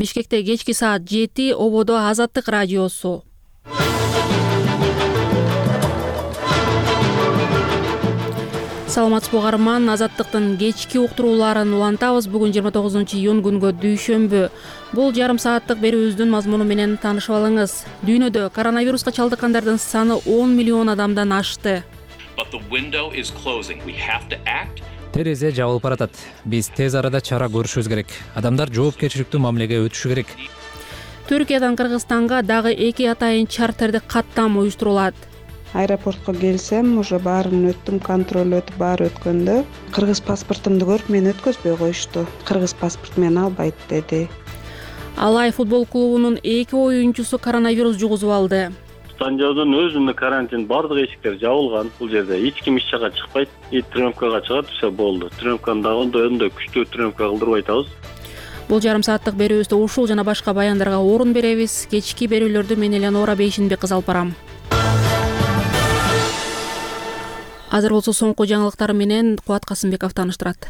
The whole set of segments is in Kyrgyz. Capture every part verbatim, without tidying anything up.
Бишкекте кечки саат жети, ободо Азаттык радиосу. Саламатсызбы угарман, Азаттыктын кечки уктурууларын улантабыз. Бүгүн жыйырма тогузунчу июнь күнгө дүйшөмбү. Бул жарым сааттык берүүбүздүн мазмуну менен таанышып алыңыз. Дүйнөдө коронавируска чалдыккандардын саны он миллион адамдан ашты. Терезе жабылып баратат. Биз тез арада чара көрүшүбүз керек. Адамдар жоопкерчиликтүү мамилеге өтүшү керек. Түркиядан Кыргызстанга дагы эки атайын чартердик каттам уюштурулат. Аэропортко келсем, уже баарын өттүм, контроль өтүп баары өткөндө кыргыз паспортумду көрүп мени өткөзбөй коюшту. Кыргыз паспорт мени албайт деди. Алай футбол клубунун эки оюнчусу коронавирус жугузуп алды. Санжаудун өзүндө карантин, бардык эшиктер жабылган. Бул жерде эч ким иш жакка чыкпайт. И трёмкага чыгат, все болду. Трёмканы дагы ондой күчтүү трёмка кылдырбай атабыз. Бул жарым сааттык берүүбүздө ушул жана башка баяндарга орун беребиз. Кечки берүүлөрдү мен Элеонора Бейшинбек кыз алып барам. Азыр болсо соңку жаңылыктар менен Кубат Касымбеков тааныштырат.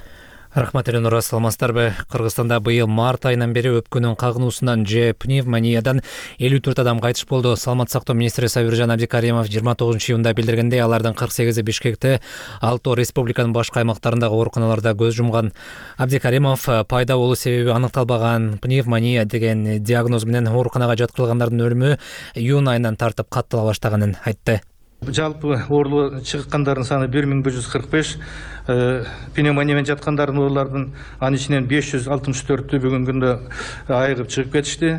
Рахмат, Элеонора, саламатсыздарбы? Кыргызстанда быйыл март айынан бери өпкөнүн кагынуусунан же пневмониядан элүү төрт адам кайтыш болду. Саламаттык сактоо министри Сабиржан Абдикаримов жыйырма тогузунчу июнда билдиргендей, алардын кырк сегизи Бишкекте, алтоо республиканын башка аймактарындагы ооруканаларда көз жумган. Абдикаримов пайда болуу себеби аныкталбаган пневмония деген диагноз менен ооруканага жаткырылгандардын өлүмү июнь айынан тартып каттала баштаганын айтты. Жалпы оорулуу чыккандардын саны бир миң бир жүз кырк беш, пневмония менен жаткандардын оорулардын анын ичинен беш жүз алтымыш төртү бүгүнкү күндө айыгып чыгып кетишти.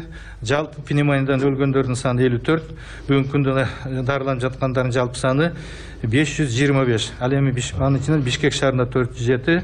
Жалпы пневмониядан өлгөндөрдүн саны элүү төрт, бүгүнкү күндө дарыланып жаткандардын жалпы саны беш жүз жыйырма беш. Ал эми анын ичинен Бишкек шаарында төрт жүз жети.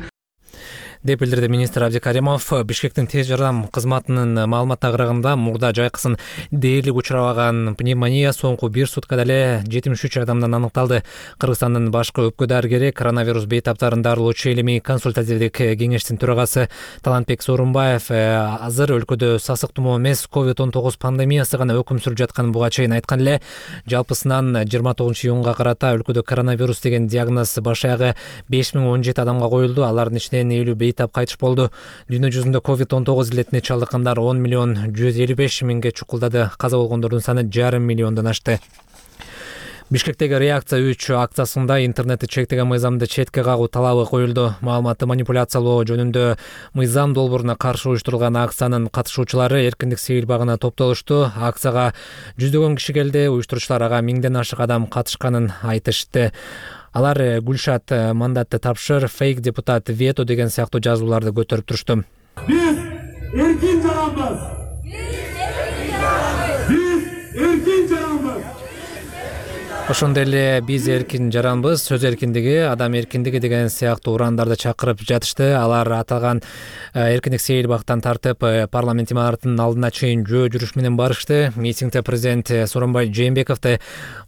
деп билдирди министр Абдикаримов. Бишкектин тез жардам кызматынын маалыматына караганда, мурда жайкысын дээрлик учурабаган пневмония соңку бир суткада эле жетимиш үч адамдан аныкталды. Кыргызстандын башкы өпкө дарыгери, коронавирус бейтаптарын дарылоочу илимий консультативдик кеңештин төрагасы Талантбек Сооронбаев азыр өлкөдө сасык тумоо эмес, ковид он тогуз пандемиясы гана өкүм сүрүп жатканын буга чейин айткан эле. Жалпысынан жыйырма тогузунчу июнга карата өлкөдө коронавирус деген диагноз баш аягы беш миң он жети адамга коюлду. Алардын ичинен элүү бейтап кайтыш болду. Дүйнө жүзүндө ковид он тогуз илетине чалдыккандар он миллион жүз элүү беш миңге чукулдады. Каза болгондордун саны жарым миллиондон ашты. Бишкектеги реакция үч акциясында интернетти чектеген мыйзамды четке кагуу талабы коюлду. Маалыматты манипуляциялоо жөнүндө мыйзам долбооруна каршы уюштурулган акциянын катышуучулары эркиндик сейил багына топтолушту. Акцияга жүздөгөн киши келди. Уюштуруучулар ага миңден ашык адам катышканын айтышты. Алар Гүлшат мандатты тапшыр, фейк депутат, вето деген сыяктуу жазууларды көтөрүп турушту. Биз эркин жаранбыз. Биз эркин жаранбыз. Ошондой эле биз эркин жаранбыз, сөз эркиндиги, адам эркиндиги деген сыяктуу урандарды чакырып жатышты. Алар аталган эркиндик сейил бактан тартып парламент имараттынын алдына чейин жөө жүрүш менен барышты. Митингде президент Сооронбай Жээнбековду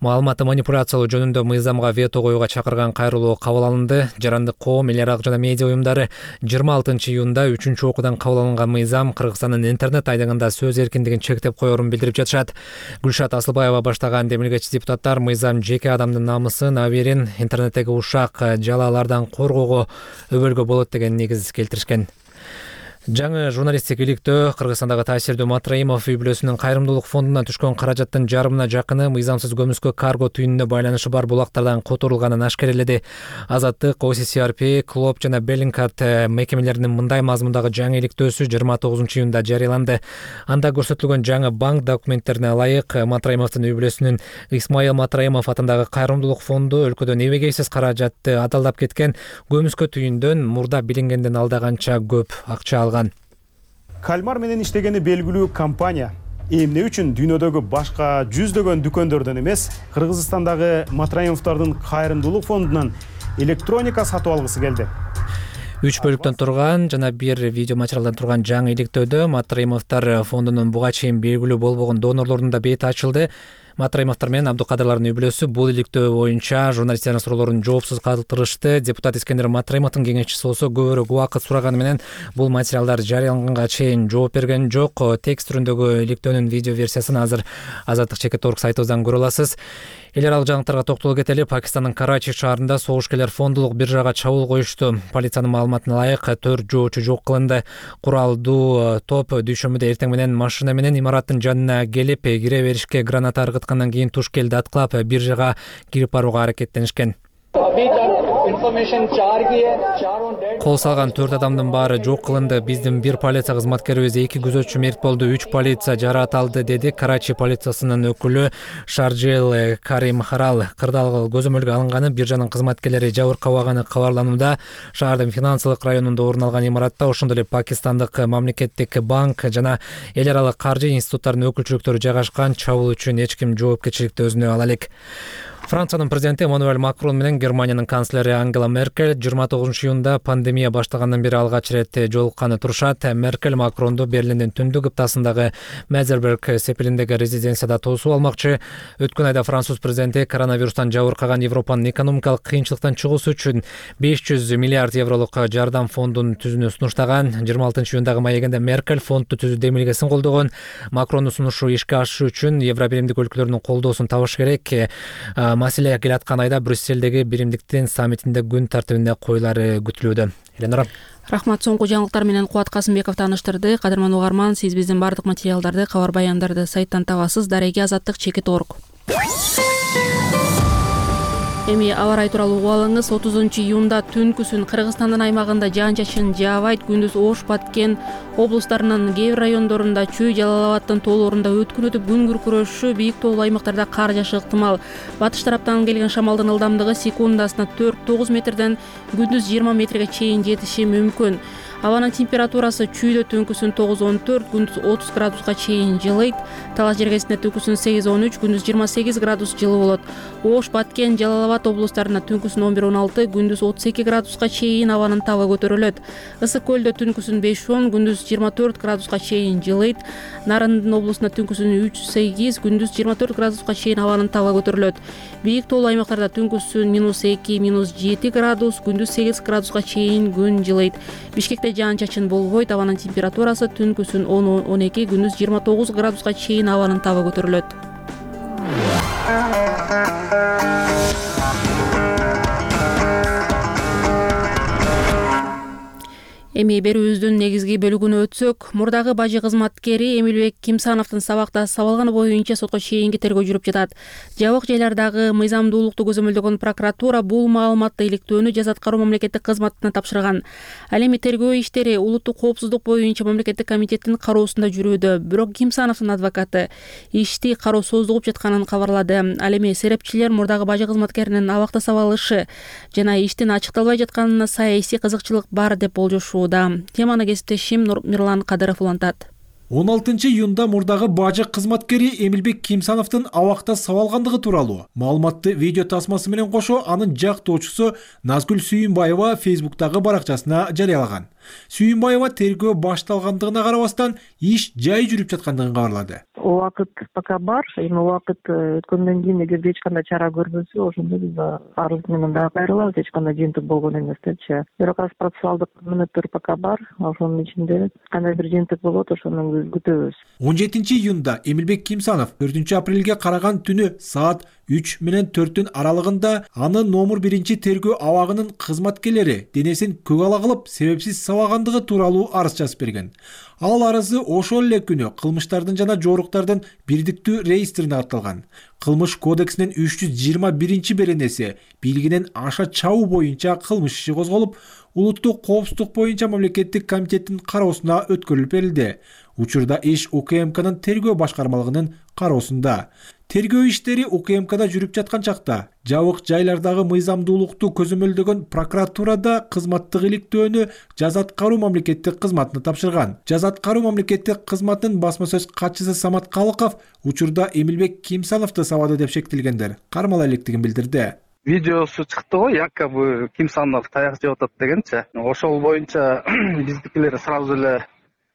маалыматты манипуляциялоо жөнүндө мыйзамга вето коюуга чакырган кайрылуу кабыл алынды. Жарандык коом, эл аралык жана медиа уюмдары жыйырма алтынчы июнда үчүнчү окуудан кабыл алынган мыйзам Кыргызстандын интернет айдыгында сөз эркиндигин чектеп коерун билдирип жатышат. Гүлшат Асылбаева баштаган демилгечи депутаттар мыйзам жеке адамдын намысын, аберин, интернеттеги ушак жалаалардан коргоого өбөлгө болот деген негиз келтиришкен. Жаңы журналисттик иликтөө Кыргызстандагы таасирдүү Матраимов үй бүлөсүнүн кайрымдуулук фондуна түшкөн каражаттын жарымына жакыны мыйзамсыз көмүскө карго түйүнүнө байланышы бар булактардан которулганын ашкереледи. Азаттык, О С С R P, Клоп жана Беллинкарт мекемелеринин мындай мазмундагы жаңы иликтөөсү жыйырма тогузунчу июнда жарыяланды. Анда көрсөтүлгөн жаңы банк документтерине ылайык Матраимовдун үй бүлөсүнүн Исмаил Матраимов атындагы кайрымдуулук фонду өлкөдөн эбегейсиз каражатты адалдап кеткен көмүскө түйүндөн мурда билингенден алда канча көп акча алган. Кальмар менен иштегени белгилүү компания эмне үчүн дүйнөдөгү башка жүздөгөн дүкөндөрдөн эмес, Кыргызстандагы Матраимовдордун кайрымдуулук фондунан электроника сатып алгысы келди. Үч бөлүктөн турган жана бир видео материалдан турган жаңы иликтөөдө Матраимовдор фондунун буга чейин белгилүү болбогон донорлордун да бети ачылды. Матраимовдор менен Абдыкадырлардын үй-бүлөсү бул иликтөө боюнча журналисттердин суроолорун жоопсуз калтырышты. Депутат Искендер Матраимовдун кеңешчиси болсо көбүрөөк убакыт сураганы менен бул материалдар жарыяланганга чейин жооп берген жок. Текст түрүндөгү иликтөөнүн видео версиясын азыр Азаттык чекит орг сайтыбыздан көрө аласыз. Эл аралык жаңылыктарга токтоло кетели. Пакистандын Карачи шаарында согушкерлер фондулук биржага чабуул коюшту. Полициянын маалыматына ылайык төрт жоочу жок кылынды. Куралдуу топ дүйшөмбүдө эртең менен машина менен имараттын жанына келип, кире беришке граната ыргыткандан кийин туш келди аткылап биржага кирип барууга аракеттенишкен. Кол салган төрт адамдын баары жок кылынды. Биздин бир полиция кызматкерибиз, эки күзөтчү мерт болду, үч полиция жараат алды, деди Карачи полициясынын өкүлү Шарджел Карим Харал. Кырдаал көзөмөлгө алынганы биржанын кызматкерлери жабыркабаганы кабарланууда. Шаардын финансылык районунда орун алган имаратта ошондой эле Пакистандык мамлекеттик банк жана эл аралык каржы институттарынын өкүлчүлүктөрү жайгашкан. Чабуул үчүн эч ким жоопкерчиликти өзүнө ала элек. Франциянын президенти Эммануэль Макрон менен Германиянын канцлери Ангела Меркель жыйырма тогузунчу июнда пандемия башталгандан бери алгач ирет жолукканы турушат. Меркель Макронду Берлиндин түндүк кыптасындагы Мезерберг сепилиндеги резиденцияда тосуп алмакчы. Өткөн айда француз президенти коронавирустан жабыркаган Европанын экономикалык кыйынчылыктан чыгуусу үчүн беш жүз миллиард евролук жардам фондун түзүүнү сунуштаган. жыйырма алтынчы июндагы маегинде Меркель фондду түзүү демилгесин колдогон. Макрондун сунушу ишке ашышы үчүн Евробиримдик өлкөлөрдүн колдоосун табыш керек. Маселе келаткан айда Брюсселдеги биримдиктин саммитинде күн тартибинде коюлары күтүлүүдө. Эленора. Рахмат, соңку жаңылыктар менен Кубат Касымбеков тааныштырды. Кадырман угарман, сиз биздин бардык материалдарды, кабар баяндарды сайттан табасыз. Дареги азаттык чекит орг. Эми аба ырайы тууралуу угуп алыңыз. отузунчу июнда түнкүсүн Кыргызстандын аймагында жаан-чачын жаабайт, күндүз Ош, Баткен облустарынын кээ бир райондорунда, Чүй, Жалал Абаддын тоолорунда өткүн өтүп күн күркүрөшү, бийик тоолуу аймактарда кар жаашы ыктымал. Батыш тараптан келген шамалдын ылдамдыгы секундасына төрт тогуз метрден күндүз жыйырма метрге чейин жетиши мүмкүн. Абанын температурасы Чүйдө түнкүсүн тогуз он төрт, күндүз отуз градуска чейин жылыйт. Талас жергесинде түнкүсүн сегиз он үч, күндүз жыйырма сегиз градус жылы болот. Ош, Баткен, Жалал Абад облустарына түнкүсүн он бир он алты, күндүз отуз эки градуска чейин абанын табы көтөрүлөт. Ысык көлдө түнкүсүн беш он, күндүз жыйырма төрт градуска чейин жылыйт. Нарындын облусуна түнкүсүн үч сегиз, күндүз жыйырма төрт градуска чейин абанын табы көтөрүлөт. Бийик тоолуу аймактарда түнкүсүн минус эки, минус жети градус, күндүз сегиз градуска чейин күн жылыйт. Бишкекте жаан-чачын болбойт. Абанын температурасы түнкүсүн он он эки, күндүз жыйырма тогуз градуска чейин абанын табы көтөрүлөт. Эми берүүбүздүн негизги бөлүгүнө өтсөк, мурдагы бажы кызматкери Эмилбек Кимсановдун сабакта сабалганы боюнча сотко чейинки тергөө жүрүп жатат. Жабык жайлардагы мыйзамдуулукту көзөмөлдөгөн прокуратура бул маалыматты иликтөөнү Жаза аткаруу мамлекеттик кызматына тапшырган. Ал эми тергөө иштери улуттук коопсуздук боюнча мамлекеттик комитеттин кароосунда жүрүүдө. Бирок Кимсановдун адвокаты ишти кароо создугуп жатканын кабарлады. Ал эми серепчилер мурдагы бажы кызматкеринин абакта сабалышы жана иштин ачыкталбай жатканына саясий кызыкчылык бар деп болжошууда. Теманы кесиптешим Мирлан Кадыров улантат. он алтынчы июнда мурдагы бажы кызматкери Эмилбек Кимсановдун абакта сабалгандыгы тууралуу маалыматты видео тасмасы менен кошо анын жактоочусу Назгүл Сүйүнбаева Фейсбуктагы баракчасына жарыялаган. Сүйүнбаева тергөө башталгандыгына карабастан иш жай жүрүп жаткандыгын кабарлады. Убакыт пока бар, эми убакыт өткөндөн кийин эгерде эч кандай чара көрбөсө, ошондо биз арыз менен дагы кайрылабыз, эч кандай жыйынтык болгон эмес депчи. Бирок азыр процессуалдык мүнөттөр пока бар, ошонун ичинде кандай бир жыйынтык болот, ошону биз күтөбүз. он жетинчи июнда Эмилбек Кимсанов төртүнчү апрелге караган түнү саат үч менен төрттүн аралыгында анын номер биринчи тергөө абагынын кызматкерлери денесин көк ала кылып себепсиз сабагандыгы тууралуу арыз жазып берген. Ал арызы ошол эле күнү кылмыштардын жана жоруктардын бирдиктүү реестрине катталган. Кылмыш кодексинин үч жүз жыйырма биринчи беренеси билгинен аша чабуу боюнча кылмыш иши козголуп, улуттук коопсуздук боюнча мамлекеттик комитеттин кароосуна өткөрүлүп берилди. Учурда иш УКМКнын тергөө башкармалыгынын кароосунда. Тергөө иштери УКМКда жүрүп жаткан чакта жабык жайлардагы мыйзамдуулукту көзөмөлдөгөн прокуратурада кызматтык иликтөөнү Жаза аткаруу мамлекеттик кызматына тапшырган. Жаза аткаруу мамлекеттик кызматынын басма сөз катчысы Самат Калыков учурда Эмилбек Кимсановду сабады деп шектелгендер кармала электигин билдирди. Видеосу чыкты го, якобы Кимсанов таяк жеп атат дегенчи. Ошол боюнча биздикилер сразу эле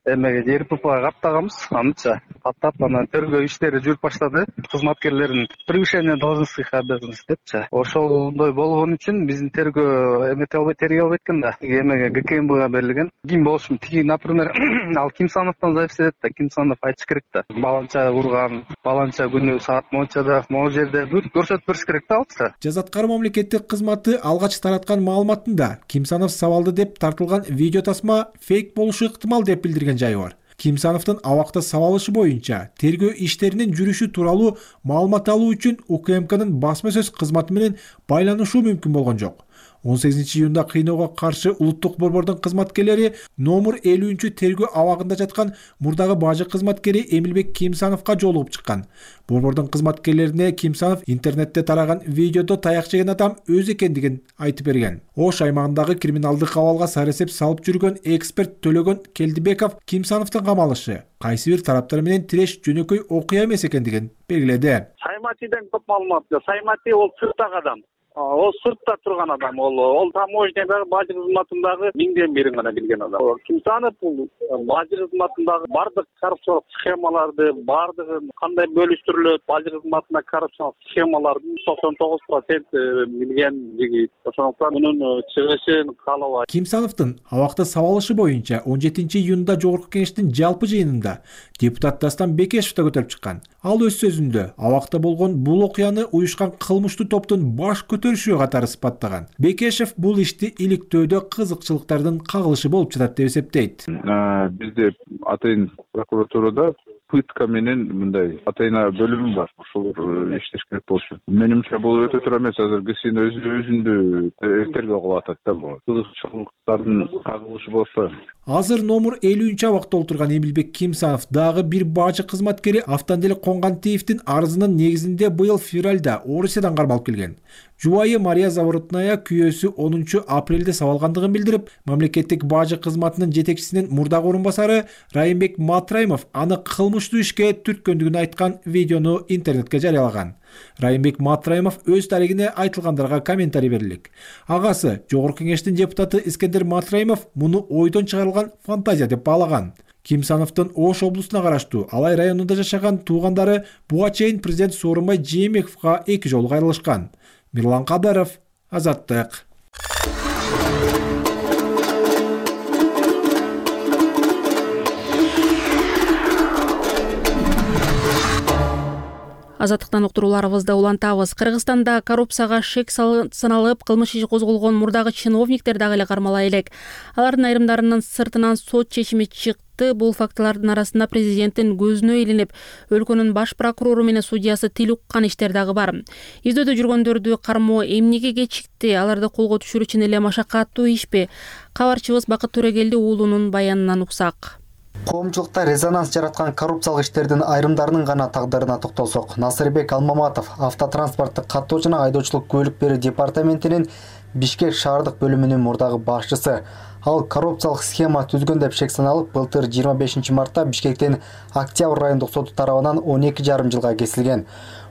эмеге ДРППга каттаганбыз, аныча каттап анан тергөө иштери жүрүп баштады. Кызматкерлердин превышение должностных обязанностей депчи. Ошондой болгон үчүн биздин тергөө эмете албай тергей албайт экен да. Эмеге ГКМБга берилген. Ким болушун тиги, например, ал Кимсановдон зависит этет да. Кимсанов айтыш керек да. Баланча урган, баланча күнү саат мончада, могу жерде көрсөтүп бериш керек да алчы. Жаза аткаруу мамлекеттик кызматы алгач тараткан маалыматында Кимсанов сабалды деп тартылган видео тасма фейк болушу ыктымал деп билдирген жайы бар. Кимсановдун абакта сабалышы боюнча тергөө иштеринин жүрүшү тууралуу маалымат алуу үчүн УКМКнын басма сөз кызматы менен байланышуу мүмкүн болгон жок. он сегизинчи июнда кыйноого каршы улуттук борбордун кызматкерлери номер элүүнчү тергөө абагында жаткан мурдагы бажы кызматкери Эмилбек Кимсановго жолугуп чыккан. Борбордун кызматкерлерине Кимсанов интернетте тараган видеодо таяк жеген адам өзү экендигин айтып берген. Ош аймагындагы криминалдык абалга сарасеп салып жүргөн эксперт Төлөгөн Келдибеков Кимсановдун камалышы кайсы бир тараптар менен тиреш жөнөкөй окуя эмес экендигин белгиледи. Сайматиден көп маалымат жок. Саймати ол сырттагы адам. Ол сыртта турган адам, ол ол таможнядагы бажы кызматындагы миңден бирин гана билген адам. Кимсанов бул бажы кызматындагы бардык коррупциялык схемаларды, бардыгын кандай бөлүштүрүлөт, бажы кызматына коррупциялык схемалардын токсон тогуз процент билген жигит. Ошондуктан мунун чыгышын каалабайт. Кимсановдун абакта сабалышы боюнча он жетинчи июнда Жогорку Кеңештин жалпы жыйынында депутат Дастан Бекешев да көтөрүп чыккан. Ал өз сөзүндө абакта болгон бул окуяны уюшкан кылмыштуу топтун баш көтөрүшү катары сыпаттаган. Бекешев бул ишти иликтөөдө кызыкчылыктардын кагылышы болуп жатат деп эсептейт. Бизде атайын прокуратурада пытка менен мындай атайын бөлүмү бар. Ошолор иштеш керек болчу. Менимче бул өтө туура эмес. Азыр кишинин өзүндү тергөө кылып атат да бул. Кызыкчылыктардын кагылышы болсо. Азыр номер элүүнчү абакта отурган Эмилбек Кимсанов дагы бир бажы кызматкери Автандел Конгантиевдин арызынын негизинде быйыл февралда Орусиядан кармалып келген. Жубайы Мария Заворотная күйөөсү онунчу апрелде сабалгандыгын билдирип, мамлекеттик бажы кызматынын жетекчисинин мурдагы орун басары Райымбек Матраимов аны кылмыштуу ишке түрткөндүгүн айткан видеону интернетке жарыялаган. Райымбек Матраимов өз тарихине айтылгандарга комментарий берилик. Агасы Жогорку Кеңештин депутаты Искендер Матраимов муну ойдон чыгарылган фантазия деп баалаган. Кимсановдун Ош облусуна караштуу Алай районунда жашаган туугандары буга чейин президент Сооронбай Жээнбековго эки жолу кайрылышкан. Мирлан Кадаров, Азаттык. Азаттыктан уктурууларыбызды улантабыз. Кыргызстанда коррупцияга шек саналып, кылмыш иши козголгон мурдагы чиновниктер дагы эле кармала элек. Алардын айрымдарынын сыртынан сот чечими чыкты. Бул фактылардын арасында президенттин көзүнө илинип, өлкөнүн баш прокурору менен судьясы тил уккан иштер дагы бар. Издөөдө жүргөндөрдү кармоо эмнеге кечикти? Аларды колго түшүрүү үчүн эле машакаттуу ишпи? Кабарчыбыз Бакыт Төрөгелди уулунун баянынан уксак. Коомчулукта резонанс жараткан коррупциялык иштердин айрымдарынын гана тагдырына токтолсок, Насырбек Алмаматов автотранспорттук каттоо жана айдоочулук көлүк берүү департаментинин Бишкек шаардык бөлүмүнүн мурдагы башчысы. Ал коррупциялык схема түзгөн деп шек саналып, былтыр жыйырма бешинчи мартта Бишкектин Октябрь райондук соту тарабынан он эки жарым жылга кесилген.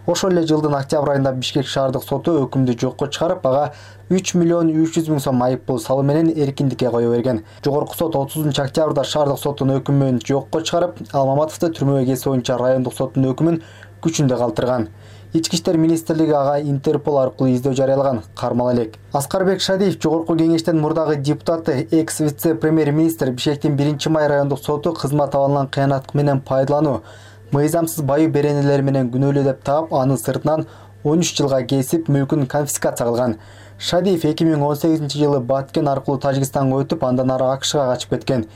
Ошол эле жылдын октябрь айында Бишкек шаардык соту өкүмдү жокко чыгарып, ага үч миллион үч жүз миң сом айыппул салуу менен эркиндикке кое берген. Жогорку сот отузунчу октябрда шаардык соттун өкүмүн жокко чыгарып, Алмаматовду түрмөгө кесүү боюнча райондук соттун өкүмүн күчүндө калтырган. Ички иштер министрлиги ага Интерпол аркылуу издөө жарыялаган. Кармала элек. Аскарбек Шадиев Жогорку Кеңештин мурдагы депутаты, экс вице-премьер-министр Бишкектин биринчи май райондук соту кызмат абалынан кыянат менен пайдалануу, мыйзамсыз байы беренелер менен күнөөлүү деп таап, аны сыртынан он үч жылга кесип, мүлкүн конфискация кылган. Шадиев эки миң он сегизинчи жылы Баткен аркылуу Тажикстанга өтүп, андан ары АКШга качып кеткен.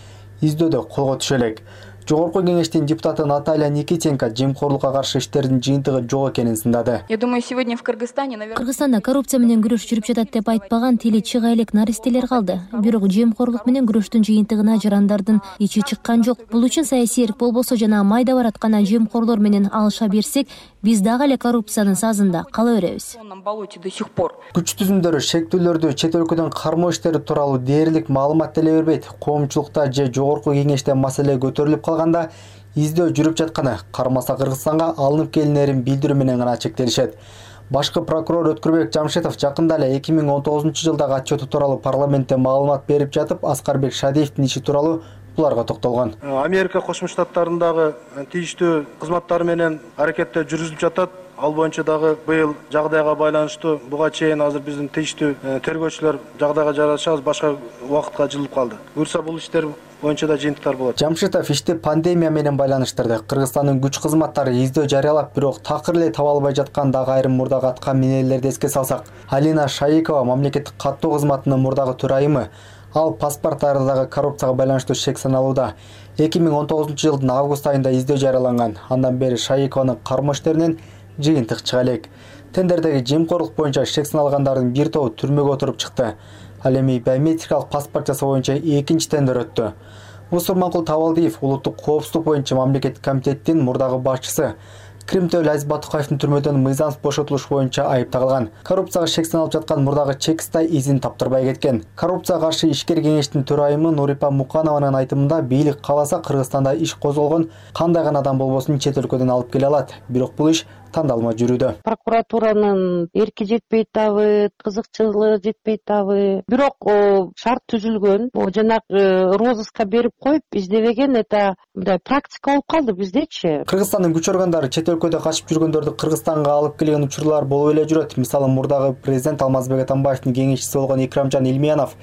Издөөдө колго түшө элек. Жогорку Кеңештин депутаты Наталья Никитенко жемкорлукка каршы иштердин жыйынтыгы жок экенин сындады. Я думаю, сегодня в Кыргызстане, наверное... Кыргызстанда коррупция менен күрөш жүрүп жатат деп айтпаган тили чыга элек наристелер калды. Бирок жемкорлук менен күрөштүн жыйынтыгына жарандардын ичи чыккан жок. Бул үчүн саясий эрк болбосо жана майда бараткан жемкорлор менен алыша берсек, биз дагы эле коррупциянын сазында кала беребиз. Күч түзүмдөрү шектүүлөрдү чет өлкөдөн кармоо иштери тууралуу дээрлик маалымат деле бербейт. Коомчулукта же Жогорку Кеңеште маселе көтөрүлүп калганда издөө жүрүп жатканы, кармаса Кыргызстанга алынып келинерин билдирүү менен гана чектелишет. Башкы прокурор Өткүрбек Жамшитов жакында эле эки миң он тогузунчу жылдагы отчету тууралуу парламентте маалымат берип жатып, Аскарбек Шадиевдин иши тууралуу буларга токтолгон. Америка Кошмо Штаттарындагы тийиштүү кызматтары менен аракеттер жүргүзүлүп жатат. Ал боюнча дагы быйыл жагдайга байланыштуу буга чейин азыр биздин тийиштүү тергөөчүлөр жагдайга жарашабыз башка убакытка жылып калды. Буюрса бул иштер боюнча да жыйынтыктар болот. Жамшитов ишти пандемия менен байланыштырды. Кыргызстандын күч кызматтары издөө жарыялап, бирок такыр эле таба албай жаткан дагы айрым мурдагы аткан минелерди эске салсак, Алина Шайыкова мамлекеттик каттоо кызматынын мурдагы төрайымы, ал паспорттардагы коррупцияга байланыштуу шек саналууда. эки миң он тогузунчу жылдын август айында издөө жарыяланган. Андан бери Шайыкованын карма иштеринен жыйынтык чыга элек. Тендердеги жемкорлук боюнча шек саналгандардын бир тобу түрмөгө отуруп чыкты. Ал эми биометрикалык паспорт жасоо боюнча экинчи тендер өттү. Усурманкул Табалдиев улуттук коопсуздук боюнча мамлекеттик комитеттин мурдагы башчысы. Кримтөл Азиз Батукаевдин түрмөдөн мыйзамсыз бошотулуш боюнча айып тагылган. Коррупцияга шек саналып жаткан мурдагы Чекистай изин таптырбай кеткен. Коррупцияга каршы ишкер кеңештин төрайымы Нурипа Муканованын айтымында бийлик кааласа Кыргызстанда иш козголгон кандай гана адам болбосун чет өлкөдөн алып келе алат. Бирок бул иш тандалма жүрүүдө. Прокуратуранын эрки жетпей атабы, кызыкчылыгы жетпей атабы. Бирок шарт түзүлгөн. Жанагы розыска берип коюп издебеген, это мындай практика болуп калды биздечи. Кыргызстандын күч органдары чет өлкөдө качып жүргөндөрдү Кыргызстанга алып келген учурлар болуп эле жүрөт. Мисалы, мурдагы президент Алмазбек Атамбаевдин кеңешчиси болгон Икрамжан Илмиянов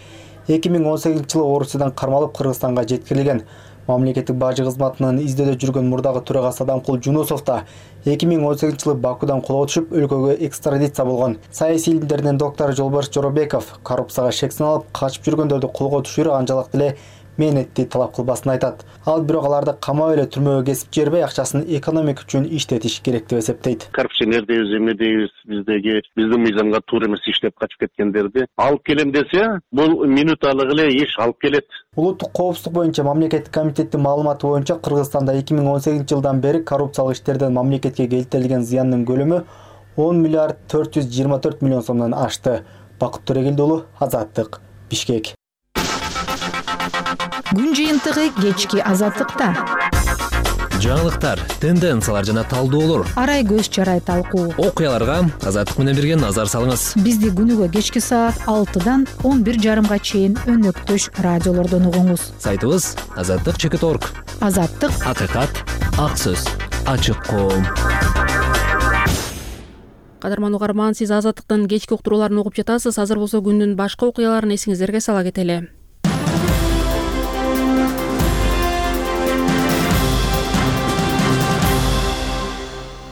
эки миң он сегизинчи жылы Орусиядан кармалып Кыргызстанга жеткирилген. Мамлекеттик бажы кызматынын издөөдө жүргөн мурдагы төрагасы Адамкул Жунусов да эки миң он сегизинчи жылы Бакудан колго түшүп, өлкөгө экстрадиция болгон. Саясий илимдеринин доктору Жолбарыс Жоробеков коррупцияга шек саналып качып жүргөндөрдү колго түшүрүү анчалык деле мээнетти талап кылбасын айтат. Ал бирок аларды камап эле түрмөгө кесип жибербей, акчасын экономика үчүн иштетиш керек деп эсептейт. Коррупционердейбиз, эмнедейбиз, биздеги биздин мыйзамга туура эмес иштеп качып кеткендерди алып келем десе, бул минуталык эле иш алып келет. Улуттук коопсуздук боюнча мамлекеттик комитеттин маалыматы боюнча Кыргызстанда эки миң он сегизинчи жылдан бери коррупциялык иштерден мамлекетке келтирилген зыяндын көлөмү он миллиард төрт жүз жыйырма төрт миллион сомдон ашты. Бакыт Төрегелди уулу, Азаттык, Бишкек. Күн жыйынтыгы кечки Азаттыкта. Жаңылыктар, тенденциялар жана талдоолор. Арай көз чарай талкуу. Окуяларга Азаттык менен бирге назар салыңыз. Бизди күнүгө кечки саат алтыдан он бир жарымга чейин өнөктөш радиолордон угуңуз. Сайтыбыз азаттык чекит точка орг. Азаттык, акыйкат, ак сөз, ачык коом. Кадырман угарман, сиз Азаттыктын кечки уктурууларын угуп жатасыз. Азыр болсо күндүн башка окуяларын эсиңиздерге сала кетели.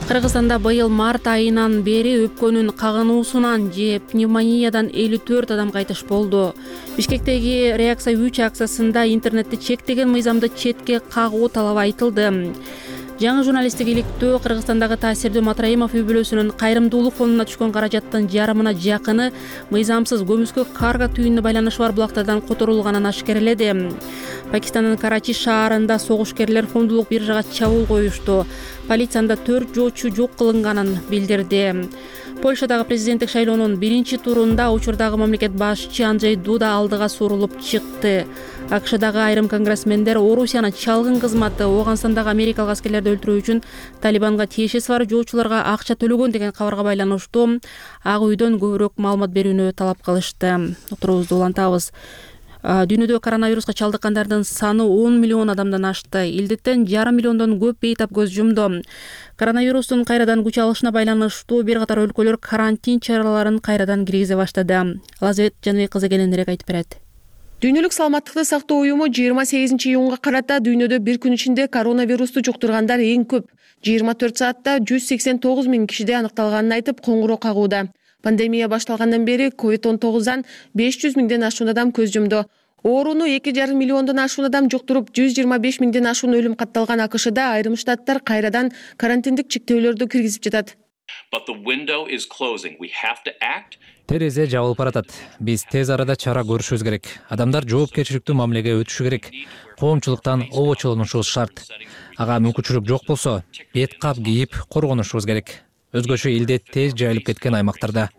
Кыргызстанда быйыл март айынан бери өпкөнүн кагынуусунан же пневмониядан элүү төрт адам кайтыш болду. Бишкектеги реакция үч акциясында интернетти чектеген мыйзамды четке кагуу талабы айтылды. Жаңы журналисттик иликтөө Кыргызстандагы таасирдүү Матраимов үй бүлөсүнүн кайрымдуулук фондуна түшкөн каражаттын жарымына жакыны мыйзамсыз көмүскө карго түйүнүнө байланышы бар булактардан которулганын ашкереледи. Пакистандын Карачи шаарында согушкерлер фондулук биржага чабуул коюшту. Полициянда төрт жоочу жок кылынганын билдирди. Польшадагы президенттик шайлоонун биринчи турунда учурдагы мамлекет башчы Анджей Дуда алдыга сурулуп чыкты. АКШдагы айрым конгрессмендер Орусияны чалгын кызматы Ооганстандагы америкалык аскерлерди өлтүрүү үчүн Талибанга тиешеси бар жоочуларга акча төлөгөн деген кабарга байланыштуу Ак үйдөн көбүрөөк маалымат берүүнү талап кылышты. Отурубузду улантабыз. Дүйнөдө коронавируска чалдыккандардын саны он миллион адамдан ашты. Илдеттен жарым миллиондон көп бейтап көз жумду. Коронавирустун кайрадан күч алышына байланыштуу бир катар өлкөлөр карантин чараларын кайрадан киргизе баштады. Лазбет Жаныбек кызы кененирээк айтып берет. Дүйнөлүк саламаттыкты сактоо уюму жыйырма сегизинчи июнга карата дүйнөдө бир күн ичинде коронавирусту жуктургандар эң көп жыйырма төрт саатта жүз сексен тогуз миң кишиде аныкталганын айтып коңгуроо кагууда. Пандемия башталгандан бери ковид он тогуздан беш жүз миңден ашуун адам көз жумду. Ооруну эки жарым миллиондон ашуун адам жуктуруп, жүз жыйырма беш миңден ашуун өлүм катталган АКШда айрым штаттар кайрадан карантиндик чектөөлөрдү киргизип жатат. Терезе жабылып баратат. Биз тез арада чара көрүшүбүз керек. Адамдар жоопкерчиликтүү мамилеге өтүшү керек. Коомчулуктан обочолонушубуз шарт. Ага мүмкүнчүлүк жок болсо, бет кап кийип коргонушубуз керек. Өзгөчө илдет тез жайылып кеткен аймактарда.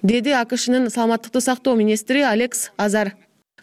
Деди АКШнын саламаттыкты сактоо министри Алекс Азар.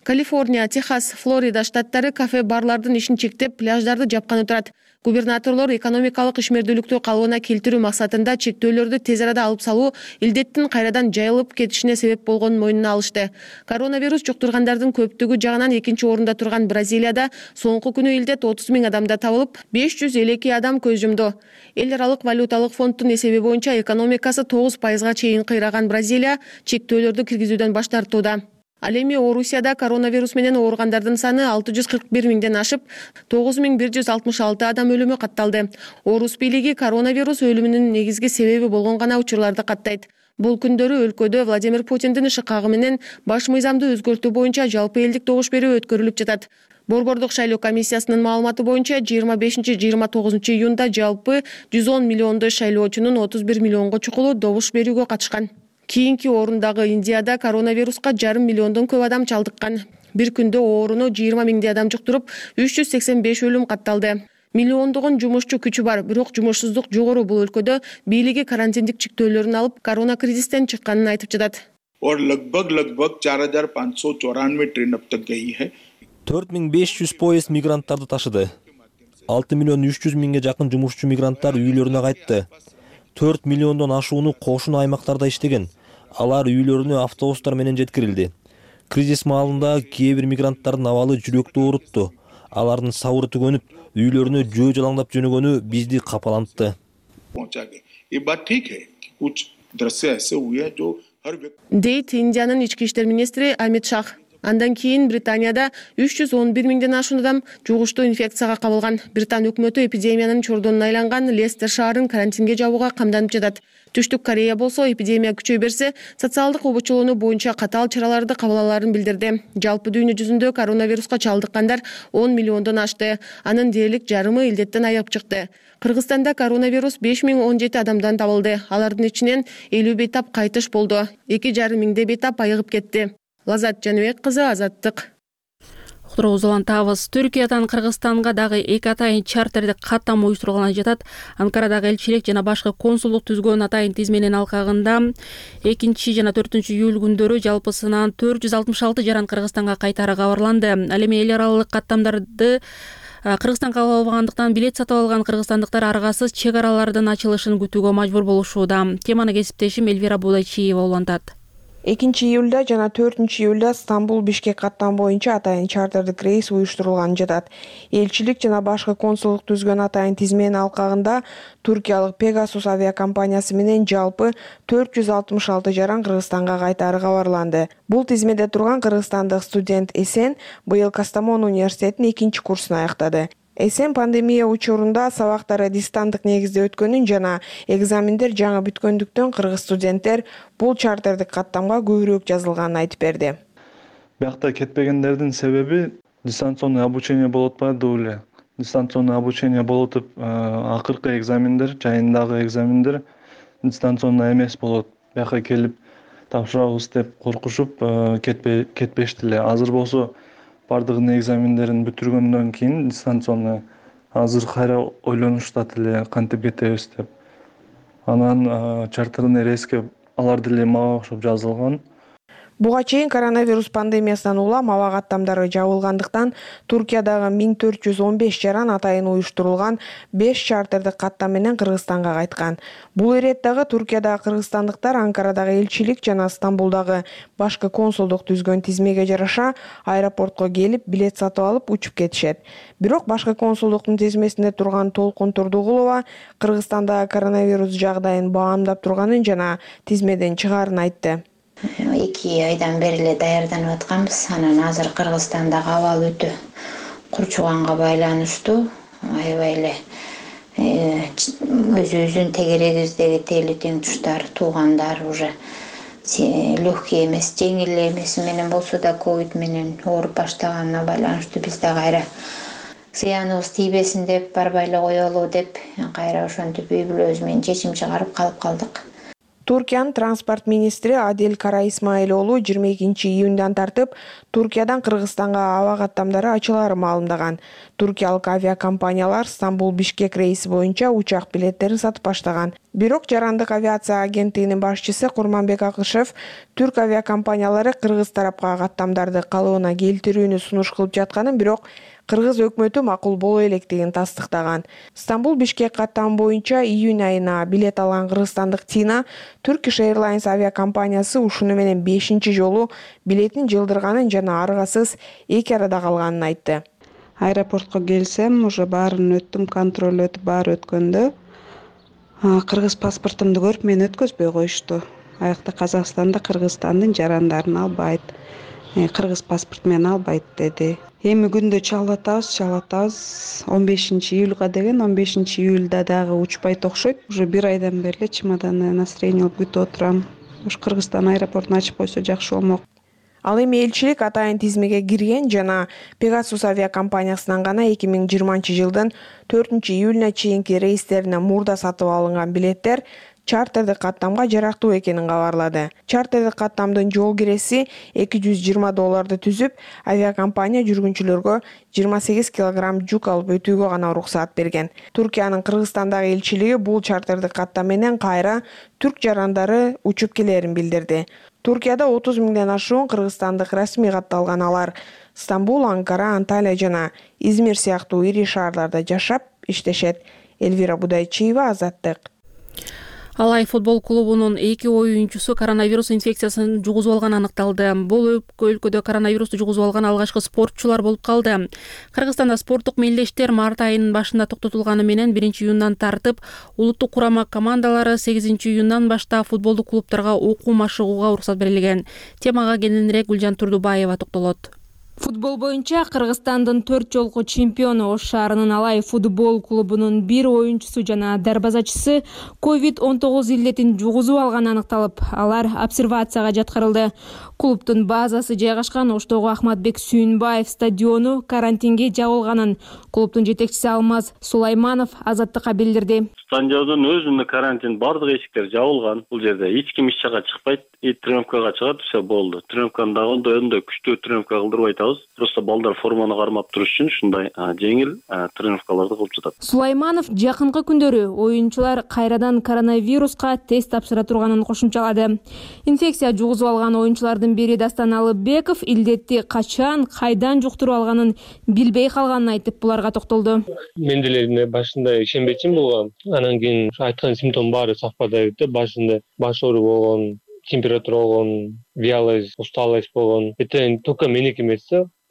Калифорния, Техас, Флорида штаттары кафе-барлардын ишин чектеп, пляждарды жапканы турат. Губернаторлор экономикалык ишмердүүлүктү калыбына келтирүү максатында чектөөлөрдү тез арада алып салуу илдеттин кайрадан жайылып кетишине себеп болгонун мойнуна алышты. Коронавирус жуктургандардын көптүгү жагынан экинчи орунда турган Бразилияда соңку күнү илдет отуз миң адамда табылып, беш жүз элүү эки адам көз жумду. Эл аралык валюталык фонддун эсеби боюнча экономикасы тогуз пайызга чейин кыйраган Бразилия чектөөлөрдү киргизүүдөн баш тартууда. Ал эми Орусияда коронавирус менен ооругандардын саны алты жүз кырк бир миңден ашып, тогуз миң бир жүз алтымыш алты адам өлүмү катталды. Орус бийлиги коронавирус өлүмүнүн негизги себеби болгон гана учурларды каттайт. Бул күндөрү өлкөдө Владимир Путиндин ышыкагы менен баш мыйзамды өзгөртүү боюнча жалпы элдик добуш берүү өткөрүлүп жатат. Борбордук шайлоо комиссиясынын маалыматы боюнча жыйырма бешинчи жыйырма тогузунчу июнда жалпы жүз он миллиондой шайлоочунун отуз бир миллионго чукулу добуш берүүгө катышкан. Кийинки орундагы Индияда коронавируска жарым миллиондон көп адам чалдыккан. Бир күндө ооруну жыйырма миңдей адам жуктуруп, үч жүз сексен беш өлүм катталды. Миллиондогон жумушчу күчү бар, бирок жумушсуздук жогору бул өлкөдө бийлиги карантиндик чектөөлөрүн алып, корона кризистен чыкканын айтып жатат. और लगभग लगभग चार हजार पाँच सौ चौरानवे ट्रेन अब तक गई है. төрт миң беш жүз поезд мигранттарды ташыды. алты миллион үч жүз миңге жакын жумушчу мигранттар үйлөрүнө кайтты. төрт миллиондон ашууну кошуна аймактарда иштеген. Алар үйлөрүнө автобустар менен жеткирилди. Кризис маалында кээ бир мигранттардын абалы жүрөктү оорутту. Алардын сабыры түгөнүп, үйлөрүнө жөө жалаңдап жөнөгөнү бизди капалантты. Дейт Индиянын ички иштер министри Амит Шах. Андан кийин Британияда үч жүз он бир миңден ашуун адам жугуштуу инфекцияга кабылган. Британ өкмөтү эпидемиянын чордонуна айланган Лестер шаарын карантинге жабууга камданып жатат. Түштүк Корея болсо эпидемия күчөй берсе, социалдык обочолонуу боюнча катаал чараларды кабыл алаарын билдирди. Жалпы дүйнө жүзүндө коронавируска чалдыккандар он миллиондон ашты. Анын дээрлик жарымы илдеттен айыгып чыкты. Кыргызстанда коронавирус беш миң он жети адамдан табылды. Алардын ичинен элүү бейтап кайтыш болду. эки жарым миңдей бейтап айыгып кетти. Лазат Жаныбек кызы, Азаттык. Уктурубузду улантабыз. Түркиядан Кыргызстанга дагы эки атайын чартерди каттам уюштурулганы жатат. Анкарадагы элчилик жана башкы консулдук түзгөн атайын тизменин алкагында экинчи жана төртүнчү июль күндөрү жалпысынан төрт жүз алтымыш алты жаран Кыргызстанга кайтары кабарланды. Ал эми эл аралык каттамдарды Кыргызстанга кабыл албагандыктан билет сатып алган кыргызстандыктар аргасыз чек аралардын ачылышын күтүүгө мажбур болушууда. Теманы кесиптешим Элвира Будайчиева улантат. экинчи июлда жана төртүнчү июлда Стамбул Бишкек каттам боюнча атайын чартердик рейс уюштурулганы жатат. Элчилик жана башкы консулдук түзгөн атайын тизменин алкагында туркиялык Pegasus авиакомпаниясы менен жалпы төрт жүз алтымыш алты жаран Кыргызстанга кайтары кабарланды. Бул тизмеде турган кыргызстандык студент Эсен быйыл Кастамону университетинин экинчи курсун аяктады. Эсен пандемия учурунда сабактары дистанттык негизде өткөнүн жана экзамендер жаңы бүткөндүктөн кыргыз студенттер бул чартердик каттамга көбүрөөк жазылганын айтып берди. Биякта кетпегендердин себеби дистанционный обучение болуп атпады деп эле. Дистанционный обучение болуп атып, акыркы экзамендер, жайындагы экзамендер дистанционный эмес болот. Бияка келип тапшырабыз деп коркушуп кетпей кетпешти эле. Азыр болсо бардыгын экзамендерин бүтүргөндөн кийин дистанционный азыр кайра ойлонуштат эле кантип кетебиз деп. Анан чартерный рейске алар деле мага окшоп жазылган. Буга чейин коронавирус пандемиясынан улам аба каттамдары жабылгандыктан Туркиядагы миң төрт жүз он беш жаран атайын уюштурулган беш чартердик каттам менен Кыргызстанга кайткан. Бул иреттагы Туркиядагы кыргызстандыктар Анкарадагы элчилик жана Стамбулдагы башкы консулдук түзгөн тизмеге жараша аэропортко келип билет сатып алып учуп кетишет. Бирок башкы консулдуктун тизмесинде турган Толкун Турдугулова Кыргызстандагы коронавирус жагдайын баамдап турганын жана тизмеден чыгаарын айтты. эки айдан бери эле даярданып атканбыз. Анан азыр Кыргызстандагы абал өтө курчуганга байланыштуу аябай эле өзүбүздүн тегерегибиздеги тегли тең туштар, туугандар уже легкий эмес, жеңил эмес менен болсо да ковид менен ооруп баштаганына байланыштуу биз да кайра зыяныбыз тийбесин деп барбай эле коелу деп кайра ошентип үй бүлөбүз менен чечим чыгарып калып калдык. Туркиянын транспорт министри Адил Кара Исмаилоğlu жыйырма экинчи июндан тартып Туркиядан Кыргызстанга аба каттамдары ачылаары маалымдаган. Туркиялык авиакомпаниялар Стамбул-Бишкек рейси боюнча учак билеттерин сатып баштаган. Бирок Жарандык авиация агенттигинин башчысы Курманбек Акышев түрк авиакомпаниялары кыргыз тарапка каттамдарды калыбына келтирүүнү сунуш кылып жатканын, бирок Кыргыз өкмөтү макул боло электигин тастыктаган. Стамбул-Бишкек каттамы боюнча июнь айына билет алган кыргызстандык Тина Turkish Airlines авиакомпаниясы ушуну менен бешинчи жолу билетин жылдырганын жана аргасыз эки арада калганын айтты. Аэропортко келсем, уже баарын өттүм, контроль өтүп баары өткөндө кыргыз паспортумду көрүп мени өткөзбөй коюшту. Аякта Казакстанда Кыргызстандын жарандарын албайт, кыргыз паспорт менен албайт деди. Эми күндө чалып атабыз, чалып атабыз. он бешинчи июлга деген, он бешинчи июлда дагы учпайт окшойт. Уже бир айдан бери эле чемоданды настроение алып күтүп отурам. Ушу Кыргызстан аэропортун ачып койсо жакшы болмок. Ал эми элчилик атайын тизмеге кирген жана Pegasus авиакомпаниясынан гана эки миң жыйырманчы жылдын төртүнчү июлуна чейинки рейстерине мурда сатып алынган билеттер чартердик каттамга жарактуу экенин кабарлады. Чартердик каттамдын жол киреси эки жүз жыйырма долларды түзүп, авиакомпания жүргүнчүлөргө жыйырма сегиз килограмм жүк алып өтүүгө гана уруксаат берген. Туркиянын Кыргызстандагы элчилиги бул чартердик каттам менен кайра түрк жарандары учуп келерин билдирди. Туркияда отуз миңден ашуун кыргызстандык расмий катталган, алар Стамбул, Анкара, Анталия жана Измир сыяктуу ири шаарларда жашап иштешет. Элвира Будайчиева, Азаттык. Алай футбол клубунун эки оюнчусу коронавирус инфекциясын жугузуп алганы аныкталды. Бул өлкөдө коронавирусту жугузуп алган алгачкы спортчулар болуп калды. Кыргызстанда спорттук мелдештер март айынын башында токтотулганы менен биринчи июндан тартып улуттук курама командалары сегизинчи июндан баштап футболдук клубдарга окуу машыгууга уруксат берилген. Темага кененирээк Гүлжан Турдубаева токтолот. Футбол боюнча Кыргызстандын төрт жолку чемпиону Ош шаарынын Алай футбол клубунун бир оюнчусу жана дарбазачысы ковид он тогуз илдетин жугузуп алганы аныкталып, алар обсервацияга жаткырылды. Клубдун базасы жайгашкан Оштогу Ахматбек Сүйүнбаев стадиону карантинге жабылганын клубдун жетекчиси Алмаз Сулайманов Азаттыкка билдирди. Стадиондун өзүнүн карантин бардык эшиктер жабылган. Бул жерде эч ким иш жакка чыкпайт. И тренировкага чыгат, все болду. Тренировканы дагы өндө күчтүү тренировка кылдырбай атабыз. Просто балдар форманы кармап туруш үчүн ушундай жеңил тренировкаларды кылып жатат. Сулайманов жакынкы күндөрү оюнчулар кайрадан коронавируска тест тапшыра турганын кошумчалады. Инфекция жугузуп алган оюнчулардын бири Дастан Алыбеков илдетти качан, кайдан жуктуруп алганын билбей калганын айтып, буларга токтолду. Мен деле башында ишенбечүмүн буга. Анан кийин айткан симптом баары совпадает. Башында баш оору болгон, температура болгон, вялость, усталость болгон. Это только меники эмес,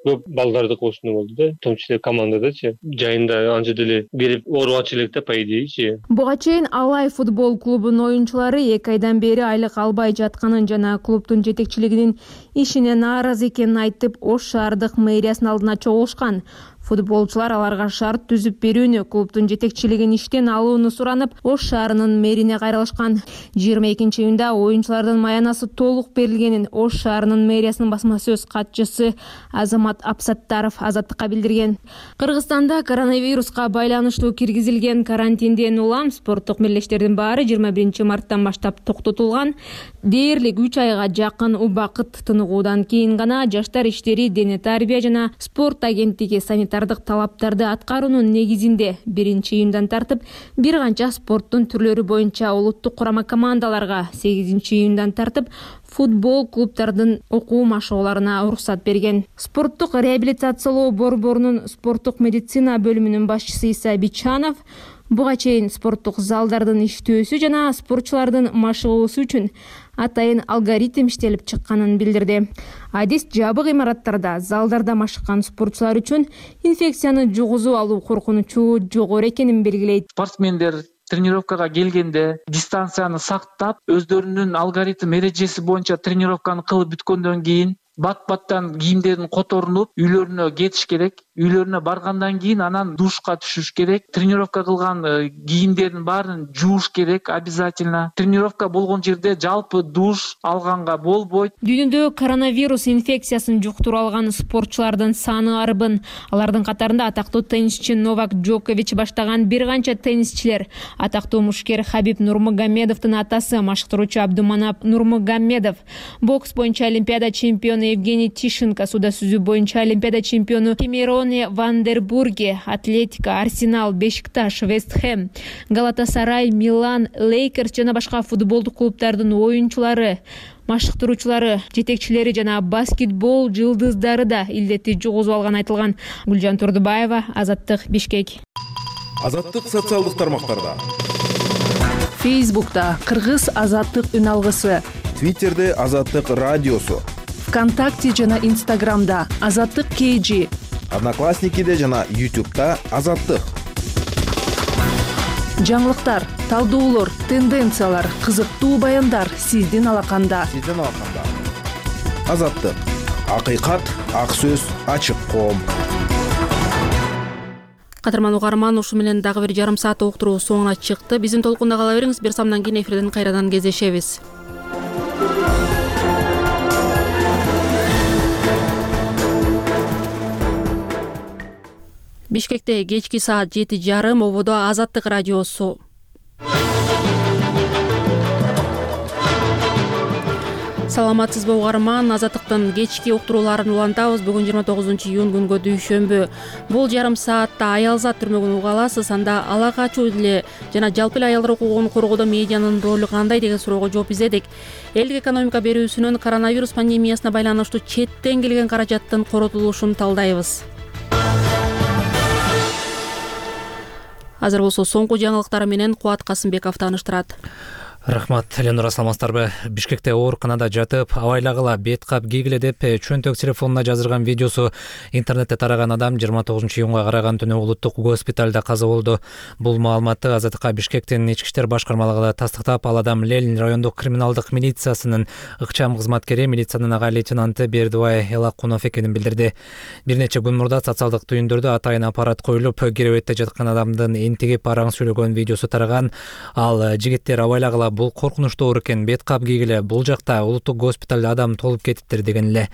көп балдарды кошуну болду да, в том числе командадачы. Жайында анча деле берип оорубачу элек да, по идее. Буга чейин Алай футбол клубунун оюнчулары эки айдан бери айлык албай жатканын жана клубдун жетекчилигинин ишине нааразы экенин айтып, Ош шаардык мэриясынын алдына чогулушкан. Футболчулар аларга шарт түзүп берүүнү, клубдун жетекчилигин иштен алууну суранып, Ош шаарынын мэрине кайрылышкан. жыйырма экинчи июнда оюнчулардын маянасы толук берилгенин Ош шаарынын мэриясынын басма сөз катчысы Азамат Апсаттаров Азаттыкка билдирген. Кыргызстанда коронавируска байланыштуу киргизилген карантинден улам спорттук мелдештердин баары жыйырма биринчи марттан баштап токтотулган. Дээрлик үч айга жакын убакыт тыныгуудан кийин гана жаштар иштери, дене тарбия жана спорт агенттиги санитардык талаптарды аткаруунун негизинде биринчи июндан тартып бир канча спорттун түрлөрү боюнча улуттук курама командаларга, сегизинчи июндан тартып футбол клубдардын окуу машыгууларына уруксат берген. Спорттук реабилитациялоо борборунун спорттук медицина бөлүмүнүн башчысы Иса Бичанов буга чейин спорттук залдардын иштөөсү жана спортчулардын машыгуусу үчүн атайын алгоритм иштелип чыкканын билдирди. Адис жабык имараттарда, залдарда машыккан спортчулар үчүн инфекцияны жугузуп алуу коркунучу жогору экенин белгилейт. Спортсмендер тренировкага келгенде дистанцияны сактап, өздөрүнүн алгоритм эрежеси боюнча тренировканы кылып бүткөндөн кийин бат баттан кийимдерин которунуп үйлөрүнө кетиш керек. Үйлөрүнө баргандан кийин анан душка түшүш керек. Тренировка кылган кийимдердин баарын жууш керек обязательно. Тренировка болгон жерде жалпы душ алганга болбойт. Дүйнөдө коронавирус инфекциясын жуктуруп алган спортчулардын саны арбын. Алардын катарында атактуу теннисчи Новак Джокович баштаган бир канча теннисчилер. Атактуу мушкер Хабиб Нурмагомедовдун атасы машыктыруучу Абдуманап Нурмагомедов, бокс боюнча Олимпиада чемпиону Евгений Тишенко, суда сүзүү боюнча Олимпиада чемпиону Кемероне Вандербурге, Атлетика, Арсенал, Бешикташ, Вест Хэм, Галатасарай, Милан, Лейкерс жана башка футболдук клубдардын оюнчулары, машыктыруучулары, жетекчилери жана баскетбол жылдыздары да илдетти жугузуп алган айтылган. Гүлжан Турдубаева, Азаттык, Бишкек. Азаттык социалдык тармактарда. Фейсбукта Кыргыз Азаттык үн алгысы. Твиттерде Азаттык радиосу. ВКонтакте жана Инстаграмда Азаттык кей жи. Одноклассникиде жана Ютубта Азаттык. Жаңылыктар, талдоолор, тенденциялар, кызыктуу баяндар сиздин алаканда. Сиздин алаканда. Азаттык. Акыйкат, ак сөз, ачык коом. Кадырман угарман, ушу менен дагы бир жарым саат уктуруу соңуна чыкты. Биздин толкунда кала бериңиз. Бир самдан кийин эфирден кайрадан кездешебиз. Бишкекте кечки саат жети жарым, ободо Азаттык радиосу. Саламатсызбы угарман, Азаттыктын кечки уктурууларын улантабыз. Бүгүн жыйырма тогузунчу июнь күнгө дүйшөмбү. Бул жарым саатта аялзат түрмөгүн угаласыз. Анда ала качуу деле жана жалпы эле аялдар укугун коргоодо медианын ролу кандай деген суроого жооп издедик. Элдик экономика берүүсүнөн коронавирус пандемиясына байланыштуу четтен келген каражаттын коротулушун талдайбыз. Азыр болсо соңку жаңылыктар менен Кубат Касымбеков тааныштырат. Рахмат, Ленура, саламатсыздарбы? Бишкекте ооруканада жатып, абайлагыла, бет кап кийгиле деп чөнтөк телефонуна жаздырган видеосу интернетте тараган адам жыйырма тогузунчу июнга караган түнү улуттук госпиталда каза болду. Бул маалыматты Азаттыкка Бишкектин ички иштер башкармалыгы тастыктап, ал адам Ленин райондук криминалдык милициясынын ыкчам кызматкери, милициянын ага лейтенанты Бердибай Элакунов экенин билдирди. Бир нече күн мурда социалдык түйүндөрдө атайын аппарат коюлуп, керебетте жаткан адамдын энтигип араң сүйлөгөн видеосу тараган. Ал жигиттер абайлагыла, бул коркунучтуу оор экен, бет кап кийгиле, бул жакта улуттук госпиталда адам толуп кетиптир деген эле.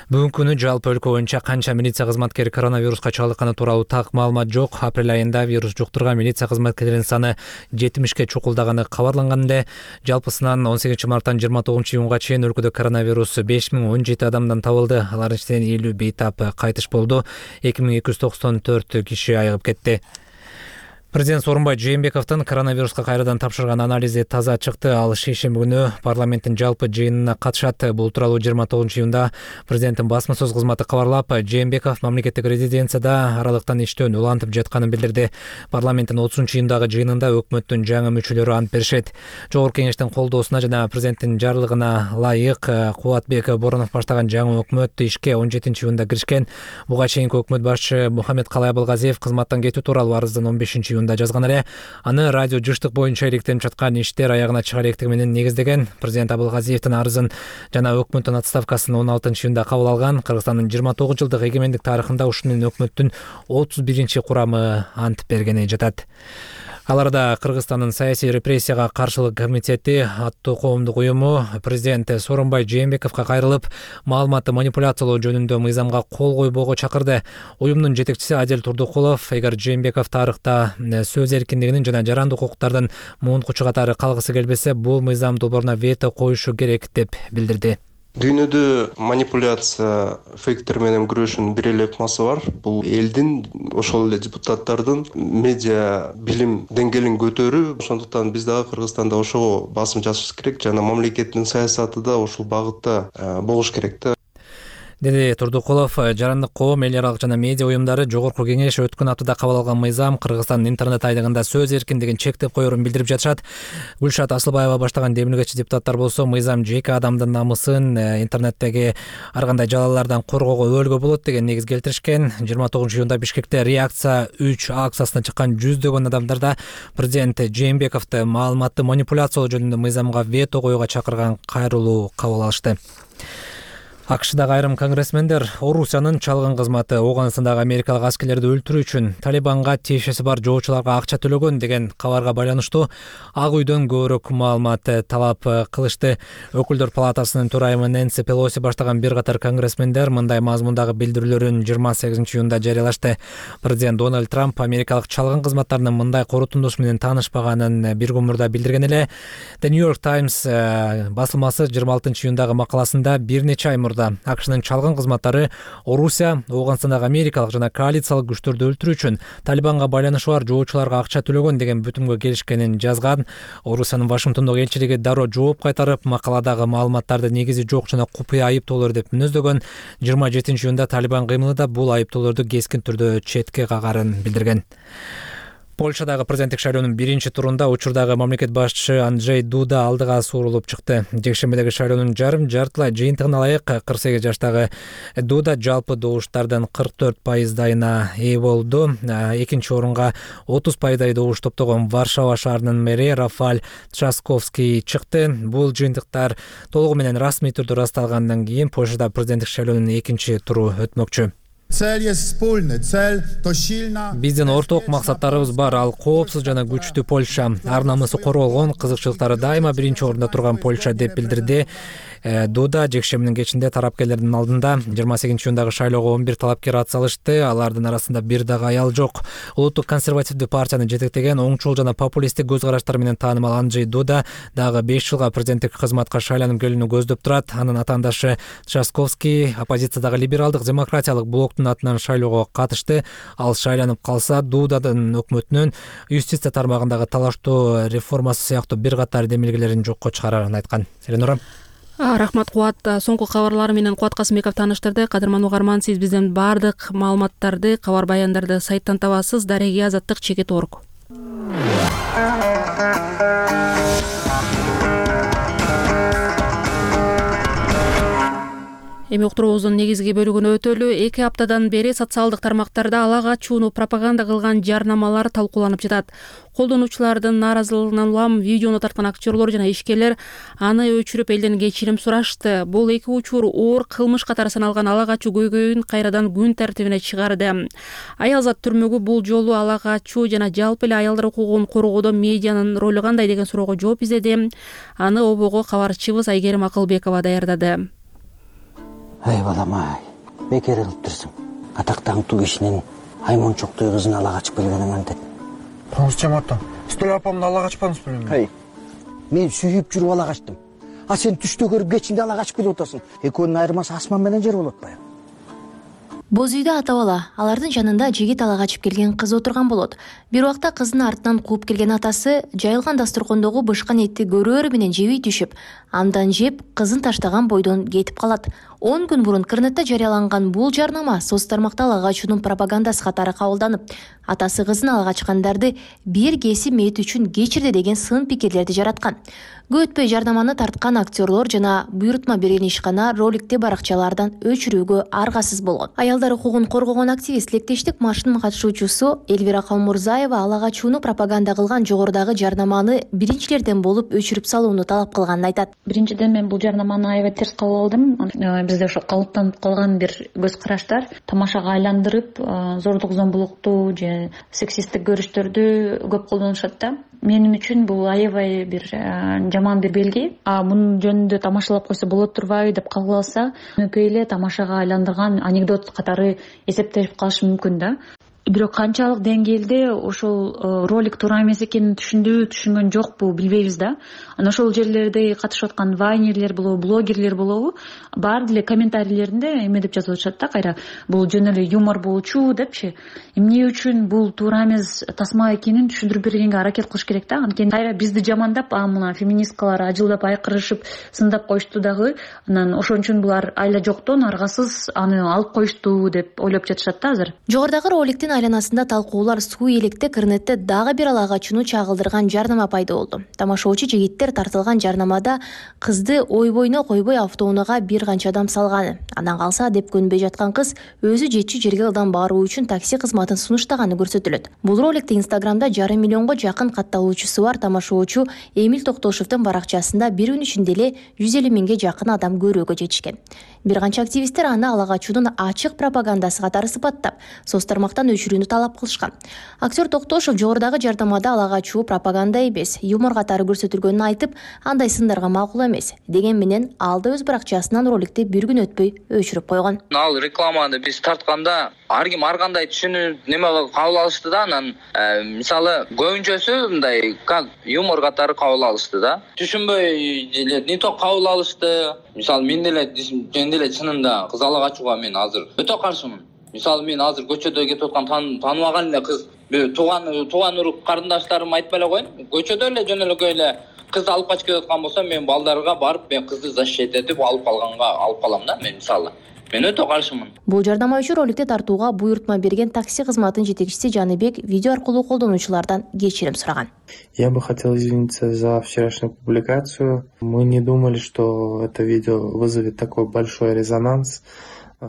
Бүгүнкү күнү жалпы өлкө боюнча канча милиция кызматкери коронавируска чалдыкканы тууралуу так маалымат жок. Апрель айында вирус жуктурган милиция кызматкерлеринин саны жетимишке чукулдаганы кабарланган эле. Жалпысынан он сегизинчи марттан жыйырма тогузунчу июнга чейин өлкөдө коронавирус беш миң он жети адамдан табылды. Алардын ичинен элүү бейтап кайтыш болду. эки миң эки жүз токсон төрт киши айыгып кетти. Президент Сооронбай Жээнбековдун коронавируска кайрадан тапшырган анализи таза чыкты. Ал шейшемби күнү парламенттин жалпы жыйынына катышат. Бул тууралуу жыйырма тогузунчу июнда президенттин басма сөз кызматы кабарлап, Жээнбеков мамлекеттик резиденцияда аралыктан иштөөнү улантып жатканын билдирди. Парламенттин отузунчу июндагы жыйынында өкмөттүн жаңы мүчөлөрү ант беришет. Жогорку кеңештин колдоосуна жана президенттин жарлыгына ылайык Кубатбек Боронов баштаган жаңы өкмөт ишке он жетинчи июнда киришкен. Буга чейинки өкмөт башчы Мухаммед Калай Абылгазиев кызматтан кетүү тууралуу арыздын он бешинчи июнда жазган эле. Аны радио жыштык боюнча иликтенип жаткан иштер аягына чыга электиги менен негиздеген. Президент Абылгазиевдин арызын жана өкмөттүн отставкасын он алтынчы июнда кабыл алган. Кыргызстандын жыйырма тогуз жылдык эгемендик тарыхында ушул менен өкмөттүн отуз биринчи курамы ант бергени жатат. Аларда Кыргызстандын саясий репрессияга каршылык комитети аттуу коомдук уюму президент Сооронбай Жээнбековго кайрылып, маалыматты манипуляциялоо жөнүндө мыйзамга кол койбоого чакырды. Уюмдун жетекчиси Адил Турдукулов, эгер Жээнбеков тарыхта сөз эркиндигинин жана жарандык укуктардын муунткучу катары калгысы келбесе, бул мыйзам долбооруна вето коюшу керек деп билдирди. Дүйнөдө манипуляция, фейктер менен күрөшүүнүн бир эле ыкмасы бар. Бул элдин, ошол эле депутаттардын медиа билим деңгээлин көтөрүү. Ошондуктан биз дагы Кыргызстанда ошого басым жасаш керек жана мамлекеттин саясаты да ошол багытта болуш керек да. Деди Турдукулов. Жарандык коом, эл аралык жана медиа уюмдары Жогорку кеңеш өткөн аптада кабыл алган мыйзам Кыргызстандын интернет айдыгында сөз эркиндигин чектеп коерун билдирип жатышат. Гүлшат Асылбаева баштаган демилгечи депутаттар болсо, мыйзам жеке адамдын намысын интернеттеги ар кандай жалалардан коргоого өбөлгө болот деген негиз келтиришкен. жыйырма тогузунчу июнда Бишкекте реакция үч акциясына чыккан жүздөгөн адамдарда президент Жээнбековду маалыматты манипуляциялоо жөнүндө мыйзамга вето коюуга чакырган кайрылуу кабыл алышты. АКШдагы айрым конгрессмендер Орусиянын чалгын кызматы Ооганстандагы америкалык аскерлерди өлтүрүү үчүн Талибанга тиешеси бар жоочуларга акча төлөгөн деген кабарга байланыштуу Ак үйдөн көбүрөөк маалымат талап кылышты. Өкүлдөр палатасынын төрайымы Нэнси Пелоси баштаган бир катар конгрессмендер мындай мазмундагы билдирүүлөрүн жыйырма сегизинчи июнда жарыялашты. Президент Дональд Трамп америкалык чалгын кызматтарынын мындай корутундушу менен таанышпаганын бир күн мурда билдирген эле. The New York Times басылмасы жыйырма алтынчы июндагы макаласында бир нече ай мурда АКШнын чалгын кызматтары Орусия, Ооганстандагы америкалык жана коалициялык күчтөрдү өлтүрүү үчүн Талибанга байланышы бар жоочуларга акча төлөгөн деген бүтүмгө келишкенин жазган. Орусиянын Вашингтондогу элчилиги дароо жооп кайтарып, макаладагы маалыматтарды негизи жок жана купуя айыптоолор деп мүнөздөгөн. жыйырма жетинчи июнда Талибан кыймылы да бул айыптоолорду кескин түрдө четке кагарын билдирген. Польшадагы президенттик шайлоонун биринчи турунда учурдагы мамлекет башчысы Анджей Дуда алдыга суурулуп чыкты. Жекшембидеги шайлоонун жарым жартылай жыйынтыгына ылайык кырк сегиз жаштагы Дуда жалпы добуштардын кырк төрт пайыздайына ээ болду. Экинчи орунга отуз пайыздай добуш топтогон Варшава шаарынын мэри Рафаль Трасковский чыкты. Бул жыйынтыктар толугу менен расмий түрдө ырасталгандан кийин Польшада президенттик шайлоонун экинчи туру өтмөкчү. Биздин орток максаттарыбыз бар, ал коопсуз жана күчтүү Польша. Ар намысы корголгон, кызыкчылыктары дайыма биринчи орунда турган Польша деп билдирди Дуда. Жекшембинин кечинде тарапкерлердин алдында жыйырма сегизинчи июндагы шайлоого он бир талапкер ат салышты. Алардын арасында бир дагы аял жок. Улуттук консервативдүү партияны жетектеген оңчул жана популисттик көз караштары менен таанымал Анджей Дуда дагы беш жылга президенттик кызматка шайланып келүүнү көздөп турат. Анын атаандашы Трасковский оппозициядагы либералдык демократиялык блоктун атынан шайлоого катышты. Ал шайланып калса, Дудадын өкмөтүнүн юстиция тармагындагы талаштуу реформасы сыяктуу бир катар демилгелерин жокко чыгарарын айткан. Эленора. Рахмат Кубат. Соңку кабарлар менен Кубат Касымбеков тааныштырды. Кадырман угарман, сиз бизден бардык маалыматтарды, кабар баяндарды сайттан табасыз. Дареги Азаттык чекит орг. Эми уктуруубуздун негизги бөлүгүнө өтөлү. Эки аптадан бери социалдык тармактарда ала качууну пропаганда кылган жарнамалар талкууланып жатат. Колдонуучулардын нааразылыгынан улам видеону тарткан актерлор жана ишкерлер аны өчүрүп элден кечирим сурашты. Бул эки учур оор кылмыш катары саналган ала качуу көйгөйүн кайрадан күн тартибине чыгарды. Аялзат түрмөгү бул жолу ала качуу жана жалпы эле аялдар укугун коргоодо медианын ролу кандай деген суроого жооп издеди. Аны обого кабарчыбыз Айгерим Акылбекова даярдады. Ай балам-ай, бекер кылып турсуң. Атактуу кишинин аймончоктой кызын ала качып келгениң антет. Тоңуз жамааттан. Стөл апамды ала качпадыңыз белем. Ай, мен сүйүп жүрүп ала качтым. А сен түштө көрүп кечинде ала качып келип атасың. Экөөнүн айырмасы асман менен жер болот атпайбы? Боз үйдө ата бала, алардын жанында жигит ала качып келген кыз отурган болот. Бир убакта кыздын артынан кууп келген атасы жайылган дасторкондогу бышкан этти көрөөрү менен жебей түшүп, андан жеп кызын таштаган бойдон кетип калат. он күн мурун интернетте жарыяланган бул жарнама соц тармакта ала качуунун пропагандасы катары кабылданып, атасы кызын ала качкандарды бир кесип мээт үчүн кечирди деген сын пикирлерди жараткан. Көп өтпөй жарнаманы тарткан актерлор жана буйрутма берген ишкана роликти баракчалардан өчүрүүгө аргасыз болгон. Аялдар укугун коргогон активист Лектештик маршынын катышуучусу Элвира Калмурзаева ала качууну пропаганда кылган жогорудагы жарнаманы биринчилерден болуп өчүрүп салууну талап кылганын айтат. Биринчиден мен бул жарнаманы аябай терс кабыл алдым. Бизде ошо калыптанып калган бир көз караштар тамашага айландырып, зордук зомбулукту же сексисттик көрүштөрдү көп колдонушат да. Менин үчүн бул аябай бир жаман бир белги. А мунун жөнүндө тамашалап койсо болот турбайбы деп калгыласа, өнөкөй эле тамашага айландырган анекдот катары эсептелип калышы мүмкүн да. Бирок канчалык деңгээлде ошол ролик туура эмес экенин түшүндү, түшүнгөн жокпу билбейбиз да. Анан ошол жерлерде катышып аткан вайнерлер болобу, блогерлер болобу, баары деле комментарийлеринде эме деп жазып атышат да, кайра бул жөн эле юмор болчу депчи. Эмне үчүн бул туура эмес тасма экенин түшүндүрүп бергенге аракет кылыш керек да. Анткени кайра бизди жамандап, а мына феминисткалар ажылдап айкырышып, сындап коюшту дагы. Анан ошон үчүн булар айла жоктон аргасыз аны алып коюшту деп ойлоп жатышат да азыр. Жогорудагы роликтин айланасында талкуулар суу электе кырнетте дагы бир ала качууну чагылдырган жарнама пайда болду. Тамашоочу жигиттер тартылган жарнамада кызды ойбойуна койбой автоунаага бир канча адам салганы, андан калса деп көнбөй жаткан кыз өзү жетчү жерге ылдам баруу үчүн такси кызматын сунуштаганы көрсөтүлөт. Бул роликти Инстаграмда жарым миллионго жакын катталуучусу бар тамашоочу Эмил Токтошовдун баракчасында бир күн ичинде эле жүз элүү миңге жакын адам көрүүгө жетишкен. Бир канча активисттер аны ала качуунун ачык пропагандасы катары сыпаттап, соц тармактан өчүрүүнү талап кылышкан. Актер Токтошов жогорудагы жардамада ала качуу пропаганда эмес, юмор катары көрсөтүлгөнүн айтып, андай сындарга макул эмес деген менен ал да өз баракчасынан роликти бир күн өтпөй өчүрүп койгон. Ал рекламаны биз тартканда ар ким ар кандай түшүнүп неме кабыл алышты да, анан мисалы көбүнчөсү мындай как юмор катары кабыл алышты да. Түшүнбөй эле не то кабыл алышты. Мисалы мен деле мен деле чынында кыз ала качууга мен азыр өтө каршымын. Мисалы мен азыр көчөдө кетип аткан тааныбаган эле кыз тууган тууган урук карындаштарым айтпай эле коеюн. Көчөдө эле жөнөлөкөй эле кызды алып качып кетип аткан болсо, мен балдарга барып мен кызды защита этип алып калганга алып калам да мен мисалы. Мен өтө каршымын. Бул жардама үчүн роликти тартууга буйртма берген такси кызматынын жетекчиси Жаныбек видео аркылуу колдонуучулардан кечирим сураган. Я бы хотел извиниться за вчерашнюю публикацию. Мы не думали, что это видео вызовет такой большой резонанс.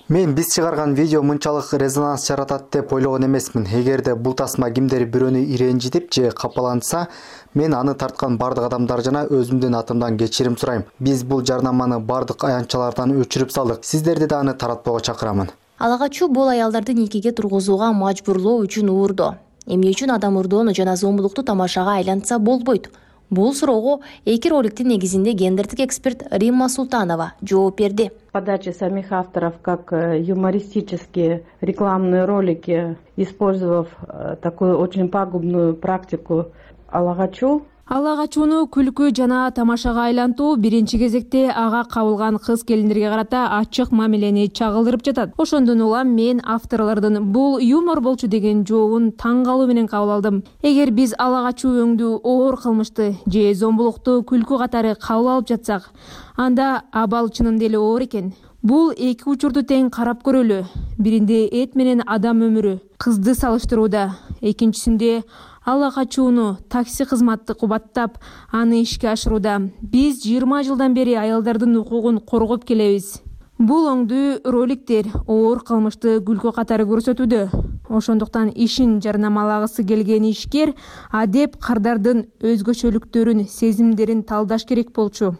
Мен биз чыгарган видео мынчалык резонанс жаратат деп ойлогон эмесмин. Эгерде бул тасма кимдер бирөөнү иренжитип же капалантса, мен аны тарткан бардык адамдар жана өзүмдүн атымдан кечирим сурайм. Биз бул жарнаманы бардык аянтчалардан өчүрүп салдык. Сиздерди да аны таратпоого чакырамын. Ала качуу бул аялдарды никеге тургузууга мажбурлоо үчүн уурдоо. Эмне үчүн адам урдоону жана зомбулукту тамашага айлантса болбойт? Бул суроого эки роликтин негизинде гендердик эксперт Римма Султанова жооп берди. Подача самих авторов как юмористические рекламные ролики, использовав такую очень пагубную практику ала качуу. Ала качууну күлкү жана тамашага айлантуу биринчи кезекте ага кабылган кыз келиндерге карата ачык мамилени чагылдырып жатат. Ошондон улам мен авторлордун бул юмор болчу деген жообун таң калуу менен кабыл алдым. Эгер биз ала качуу өңдүү оор кылмышты же зомбулукту күлкү катары кабыл алып жатсак, анда абал чынында эле оор экен. Бул эки учурду тең карап көрөлү. Биринде эт менен адам өмүрү, кызды салыштырууда, экинчисинде ала качууну, такси кызматты кубаттап, аны ишке ашырууда. Биз жыйырма жылдан бери аялдардын укугун коргоп келебиз. Бул оңдуу роликтер оор кылмышты күлкү катары көрсөтүүдө. Ошондуктан ишин жарнамалагысы келген ишкер адеп кардардын өзгөчөлүктөрүн, сезимдерин талдаш керек болчу.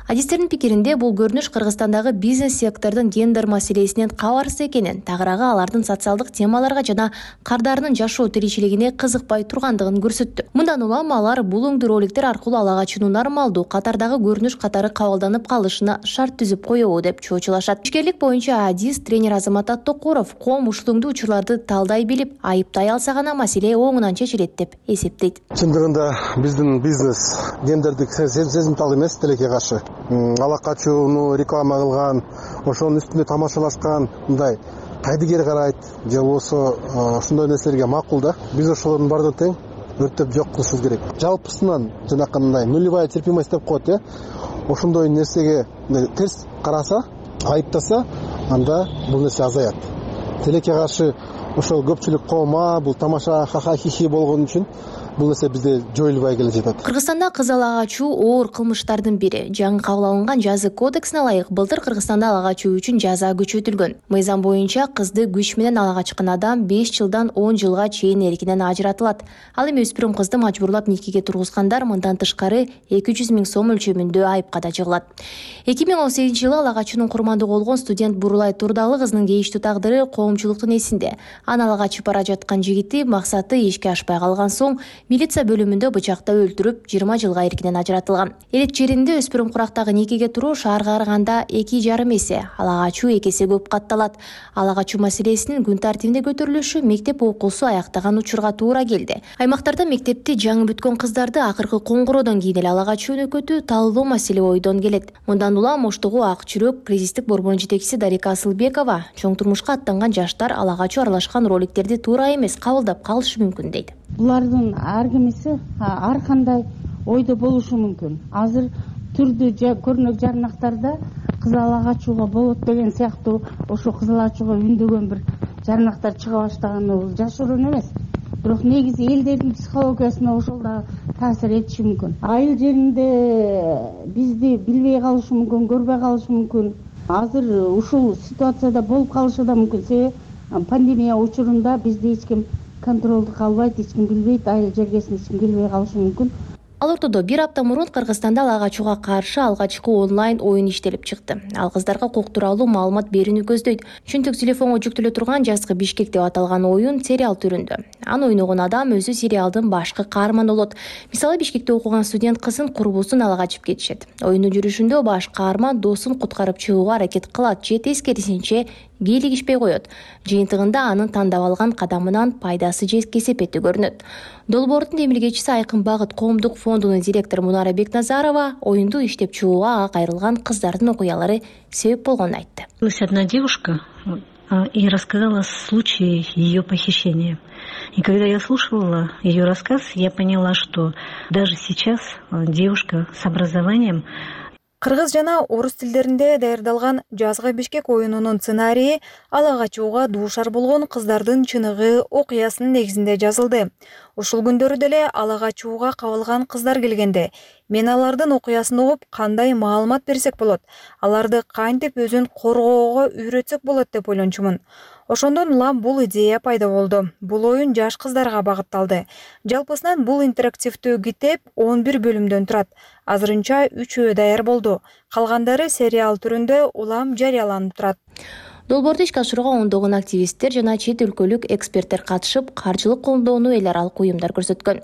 Адистердин пикиринде бул көрүнүш Кыргызстандагы бизнес сектордун гендер маселесинен кабарсыз экенин, тагыраагы алардын социалдык темаларга жана кардарынын жашоо тиричилигине кызыкпай тургандыгын көрсөттү. Мындан улам алар бул өңдүү роликтер аркылуу ала качууну нормалдуу катардагы көрүнүш катары кабылданып калышына шарт түзүп коебу деп чоочулашат. Ишкерлик боюнча адис тренер Азамат Аттокуров коом ушул өңдүү учурларды талдай билип, айыптай алса гана маселе оңунан чечилет деп эсептейт. Чындыгында биздин бизнес гендердик сезимтал эмес, тилекке каршы. Ала качууну реклама кылган, ошонун үстүндө тамашалашкан, мындай кайдыгер карайт, же болбосо ошондой нерселерге макул да. Биз ошолордун баардыгын тең өрттөп жок кылышыбыз керек. Жалпысынан жанакындай нулевая терпимость деп коет, э. Ошондой нерсеге терс караса, айыптаса, анда бул нерсе азаят. Тилекке каршы ошол көпчүлүк коомга бул тамаша ха-ха хи-хи болгон үчүн бул нерсе бизде жоюлбай келе жатат. Кыргызстанда кыз ала качуу оор кылмыштардын бири. Жаңы кабыл алынган жаза кодексине ылайык былтыр Кыргызстанда ала качуу үчүн жаза күчөтүлгөн. Мыйзам боюнча кызды күч менен ала качкан адам беш жылдан он жылга чейин эркинен ажыратылат. Ал эми өспүрүм кызды мажбурлап никеге тургузгандар мындан тышкары эки жүз миң сом өлчөмүндө айыпка да жыгылат. эки миң он сегизинчи жылы ала качуунун курмандыгы болгон студент Бурулай Турдалы кыздын кейиштүү тагдыры коомчулуктун эсинде. Аны ала качып бара жаткан жигити максаты ишке ашпай калган соң милиция бөлүмүндө бычактап өлтүрүп жыйырма жылга эркинен ажыратылган. Элет жеринде өспүрүм курактагы никеге туруу шаарга караганда эки жарым эсе, ала качуу эки эсе көп катталат. Ала качуу маселесинин күн тартибинде көтөрүлүшү мектеп окуусу аяктаган учурга туура келди. Аймактарда мектепти жаңы бүткөн кыздарды акыркы коңгуроодон кийин эле ала качуу өнөкөтүү талдоо маселе ойдон келет. Мындан улам Оштогу Ак Жүрөк кризистик борборунун жетекчиси Дарика Асылбекова чоң турмушка аттанган жаштар ала качуу аралашкан роликтерди туура эмес кабылдап калышы мүмкүн дейт. Булардын ар кимиси ар кандай ойдо болушу мүмкүн. Азыр түрдүү көрүнөк жарнактарда кыз ала качууга болот деген сыяктуу ошо кыз ала качууга үндөгөн бир жарнактар чыга баштаганы бул жашыруун эмес, бирок негизи элдердин психологиясына ошол да таасир этиши мүмкүн. Айыл жеринде бизди билбей калышы мүмкүн, көрбөй калышы мүмкүн. Азыр ушул ситуацияда болуп калышы да мүмкүн. Себеби пандемия учурунда бизди эч ким контролду калбайт, эч ким билбейт, айыл жергесин эч ким билбей калышы мүмкүн. Ал ортодо бир апта мурун Кыргызстанда ала качууга каршы алгачкы онлайн оюн иштелип чыкты. Ал кыздарга укук тууралуу маалымат берүүнү көздөйт. Чөнтөк телефонго жүктөлө турган жазгы Бишкек деп аталган оюн сериал түрүндө. Аны ойногон адам өзү сериалдын башкы каарманы болот. Мисалы, Бишкекте окуган студент кызын курбусун ала качып кетишет. Оюндун жүрүшүндө баш каарман досун куткарып чыгууга аракет кылат же тескерисинче кийлигишпей коет. Жыйынтыгында анын тандап алган кадамынан пайдасы же кесепети көрүнөт. Долбоордун демилгечиси Айкын Багыт коомдук фондунун директору Мунара Бекназарова оюнду иштеп чыгууга ага кайрылган кыздардын окуялары себеп болгонун айтты. Одна девушка и рассказала случай ее похищения. И когда я слушала ее рассказ, я поняла, что даже сейчас девушка с образованием. Кыргыз жана орус тилдеринде даярдалган жазгы Бишкек оюнунун сценарийи ала качууга дуушар болгон кыздардын чыныгы окуясынын негизинде жазылды. Ушул күндөрү деле ала качууга кабылган кыздар келгенде мен алардын окуясын угуп кандай маалымат берсек болот, аларды кантип өзүн коргоого үйрөтсөк болот деп ойлончумун. Ошондон улам бул идея пайда болду. Бул оюн жаш кыздарга багытталды. Жалпысынан бул интерактивдүү китеп он бир бөлүмдөн турат. Азырынча үчөө даяр болду. Калгандары сериал түрүндө улам жарыяланып турат. Долбоорду ишке ашырууга ондогон активисттер жана чет өлкөлүк эксперттер катышып, каржылык колдоону эл аралык уюмдар көрсөткөн.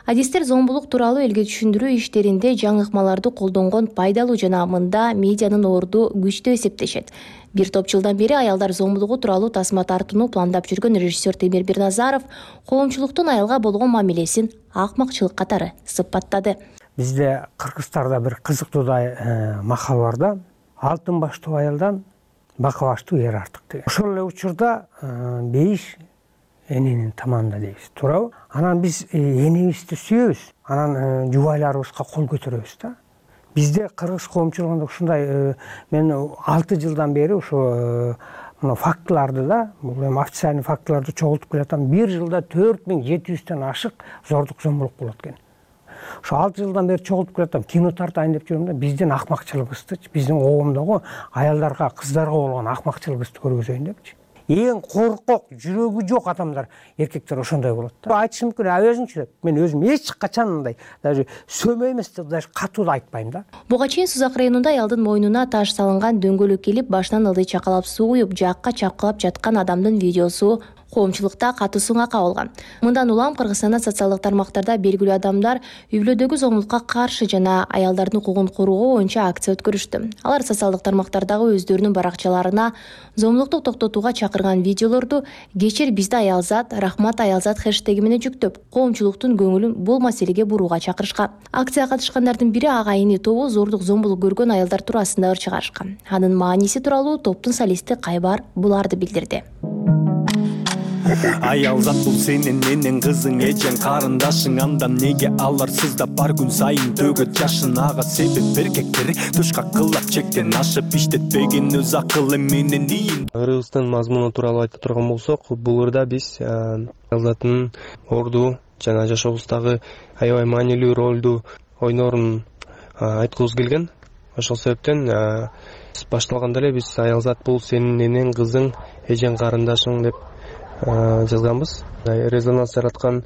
Адистер зомбулук тууралуу элге түшүндүрүү иштеринде жаңы ыкмаларды колдонгон пайдалуу жана мында медианын орду күчтүү эсептешет. Бир топ жылдан бери аялдар зомбулугу тууралуу тасма тартууну пландап жүргөн режиссер Темир Бирназаров коомчулуктун аялга болгон мамилесин акмакчылык катары сыпаттады. Бизде Кыргызстанда бир кызыктуудай макал бар да, алтын баштуу аялдан бака баштуу эр артык деген. Ошол эле учурда бейиш эненин таманында дейбиз, туурабы? Анан биз энебизди сүйөбүз, анан жубайларыбызга кол көтөрөбүз да. Бизде кыргыз коомчулугунда ушундай мен алты жылдан бери ошо мына фактыларды да, бул эми официальный фактыларды чогултуп келатам. Бир жылда төрт миң жети жүздөн ашык зордук зомбулук болот экен. Ошо алты жылдан бери чогултуп келатам, кино тартайын деп жүрөм да, биздин акмакчылыгыбызды, биздин коомдогу аялдарга, кыздарга болгон акмакчылыгыбызды көргөзөйүн депчи. Эң коркок, жүрөгү жок адамдар, эркектер ошондой болот да. Айтышы мүмкүн, а өзүңчү деп. Мен өзүм эч качан мындай даже сөмө эмес деп даже катуу да айтпайм да. Буга чейин Сузак районунда аялдын мойнуна таш салынган дөңгөлөк келип, башынан ылдый чакалап суу куюп, жакка чапкылап жаткан адамдын видеосу коомчулукта катуу сынга кабылган. Мындан улам Кыргызстанда социалдык тармактарда белгилүү адамдар үй бүлөдөгү зомбулукка каршы жана аялдардын укугун коргоо боюнча акция өткөрүштү. Алар социалдык тармактардагы өздөрүнүн баракчаларына зомбулукту токтотууга чакырган видеолорду «Кечир бизди аялзат, рахмат аялзат» хэштеги менен жүктөп, коомчулуктун көңүлүн бул маселеге бурууга чакырышкан. Акцияга катышкандардын бири агайыны тобу зордук зомбулук көргөн аялдар туурасында ыр чыгарышкан. Анын мааниси тууралуу топтун солисти Кайбар буларды билдирди. Аялзат бул сенин энең кызың эжең карындашың, андан неге алар сыздап бар күн сайын төгөт жашын. Ага себеп эркектер тушка кылап чектен ашып иштетпеген өз акылы менен ийин. Кыргызстан мазмуну тууралуу айта турган болсок, бул ырда биз аялзаттын орду жана жашообуздагы аябай маанилүү ролду ойнорун айткыбыз келген. Ошол себептен башталганда эле биз аялзат бул сенин энең кызың эжең карындашың деп жазганбыз. Резонанс жараткан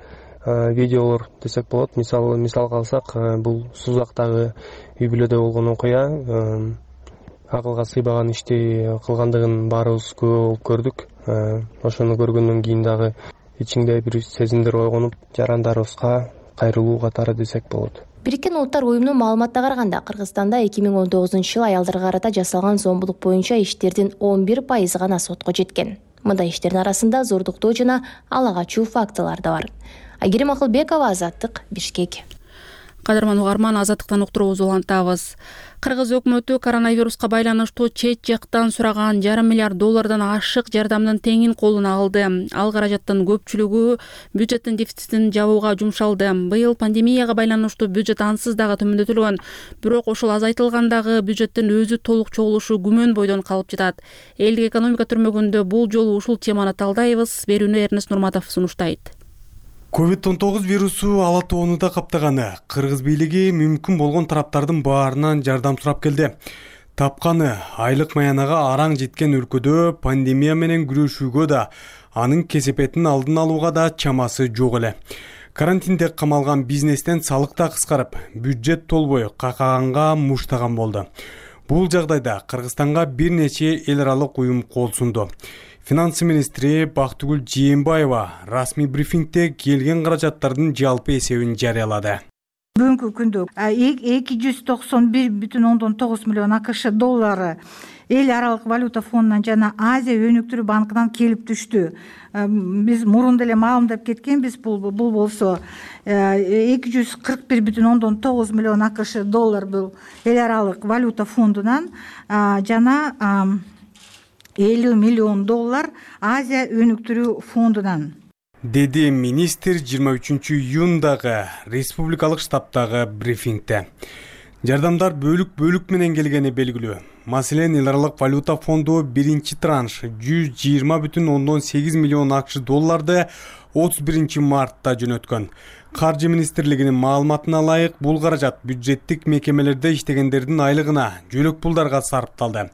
видеолор десек болот. Мисалы мисалга алсак, бул Сузактагы үй бүлөдө болгон окуя акылга сыйбаган ишти кылгандыгын баарыбыз күбө болуп көрдүк. Ошону көргөндөн кийин дагы ичиңде бир сезимдер ойгонуп, жарандарыбызга кайрылуу катары десек болот. Бириккен Улуттар уюмунун маалыматына караганда, Кыргызстанда эки миң он тогузунчу жылы аялдарга карата жасалган зомбулук боюнча иштердин он бир пайызы гана сотко жеткен. Мындай иштердин арасында зордуктоо жана ала качуу фактылары да бар. Айгерим Акылбекова, Азаттык, Бишкек. Кадырман угарман, Азаттыктан уктуруубузду улантабыз. Кыргыз өкмөтү коронавируска байланыштуу чет жактан сураган жарым миллиард доллардан ашык жардамдын теңин колуна алды. Ал каражаттын көпчүлүгү бюджеттин дефицитин жабууга жумшалды. Быйыл пандемияга байланыштуу бюджет ансыз дагы төмөндөтүлгөн. Бирок ошол азайтылгандагы бюджеттин өзү толук чогулушу күмөн бойдон калып жатат. Элдик экономика түрмөгүндө бул жолу ушул теманы талдайбыз. Берүүнү Эрнест Нурматов сунуштайт. ковид он тогуз вирусу ала тоону да каптаганы. Кыргыз бийлиги мүмкүн болгон тараптардын баарынан жардам сурап келди. Тапканы айлык маянага араң жеткен өлкөдө пандемия менен күрөшүүгө да, анын кесепетин алдын алууга да чамасы жок эле. Карантинде камалган бизнестен салык да кыскарып, бюджет толбой какаганга муштаган болду. Бул жагдайда Кыргызстанга бир нече эл аралык уюм кол сунду. Финансы министри Бактыгүл Жээнбаева расмий брифингде келген каражаттардын жалпы эсебин жарыялады. Бүгүнкү күндө эки жүз токсон бир бүтүн ондон тогуз миллион АКШ доллары эл аралык валюта фондунан жана Азия өнүктүрүү банкынан келип түштү. Биз мурун деле маалымдап кеткенбиз, бул бул болсо эки жүз кырк бир бүтүн ондон тогуз миллион АКШ доллар бул эл аралык валюта фондунан жана элүү миллион доллар Азия өнүктүрүү фондунан. Деди министр жыйырма үчүнчү июндагы республикалык штабтагы брифингде. Жардамдар бөлүк-бөлүк менен келгени белгилүү. Маселен, эл аралык валюта фонду биринчи транш жүз жыйырма бүтүн ондон сегиз миллион АКШ долларды отуз биринчи мартта жөнөткөн. Каржы министрлигинин маалыматына ылайык, бул каражат бюджеттик мекемелерде иштегендердин айлыгына, жөлөк пулдарга сарпталды.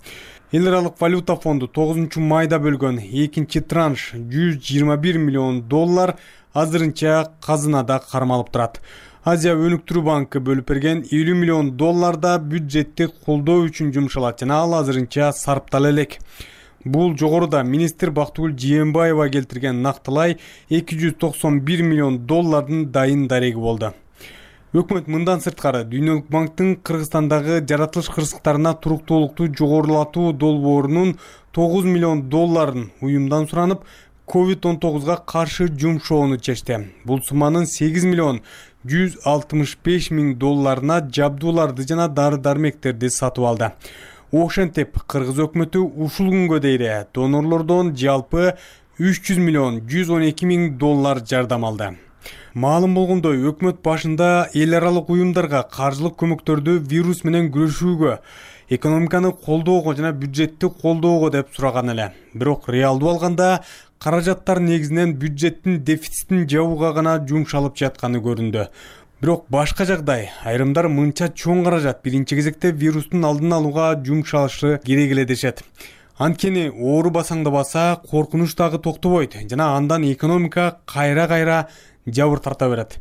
Эл аралык валюта фонду тогузунчу майда бөлгөн экинчи транш жүз жыйырма бир миллион доллар азырынча казынада кармалып турат. Азия өнүктүрүү банкы бөлүп берген элүү миллион доллар да бюджеттик колдоо үчүн жумшалат жана ал азырынча сарптала элек. Бул жогоруда министр Бактыгүл Жээнбаева келтирген нактылай эки жүз токсон бир миллион доллардын дайын дареги болду. Өкмөт мындан сырткары Дүйнөлүк банктын Кыргызстандагы жаратылыш кырсыктарына туруктуулукту жогорулатуу долбоорунун тогуз миллион долларын уюмдан суранып, ковид он тогузга каршы жумшоону чечти. Бул сумманын сегиз миллион жүз алтымыш беш миң долларына жабдууларды жана дары-дармектерди сатып алды. Ошентип, Кыргыз өкмөтү ушул күнгө дейин донорлордон жалпы үч жүз миллион жүз он эки миң доллар жардам алды. Маалым болгондой, өкмөт башында эл аралык уюмдарга каржылык көмөктөрдү вирус менен күрөшүүгө, экономиканы колдоого жана бюджетти колдоого деп сураган эле. Бирок реалдуу алганда каражаттар негизинен бюджеттин дефицитин жабууга гана жумшалып жатканы көрүндү. Бирок башка жагдай, айрымдар мынча чоң каражат биринчи кезекте вирустун алдын алууга жумшалышы керек эле дешет. Анткени оору басаңдабаса, коркунуч дагы токтобойт жана андан экономика кайра-кайра жабыр тарта берет.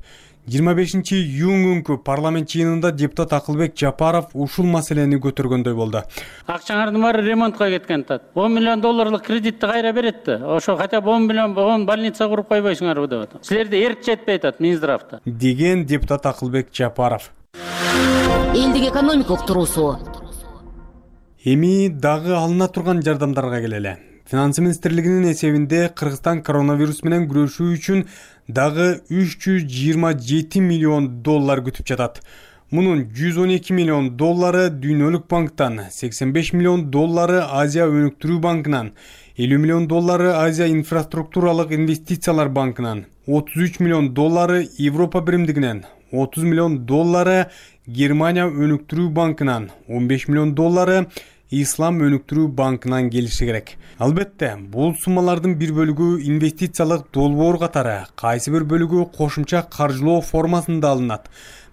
жыйырма бешинчи июнь күнкү парламент жыйынында депутат Акылбек Жапаров ушул маселени көтөргөндөй болду. Акчаңардын баары ремонтко кеткен тат. он миллион долларлык кредитти кайра берет да. Ошо хотя бы он миллион он больница куруп койбойсуңарбы деп атат. Силерде эрк жетпей атат Минздравда. Деген депутат Акылбек Жапаров. Элдик экономика уктуруусу. Эми дагы алына турган жардамдарга келели. Финансы министрлигинин эсебинде Кыргызстан коронавирус менен күрөшүү үчүн дагы үч жүз жыйырма жети миллион доллар күтүп жатат. Мунун жүз он эки миллион доллары Дүйнөлүк банктан, сексен беш миллион доллары Азия өнүктүрүү банкынан, элүү миллион доллары Азия инфраструктуралык инвестициялар банкынан, отуз үч миллион доллары Европа биримдигинен, отуз миллион доллары Германия өнүктүрүү банкынан, он беш миллион доллары Ислам өнүктүрүү банкынан келиши керек. Албетте, бул суммалардын бир бөлүгү инвестициялык долбоор катары, кайсы бир бөлүгү кошумча каржылоо формасында алынат.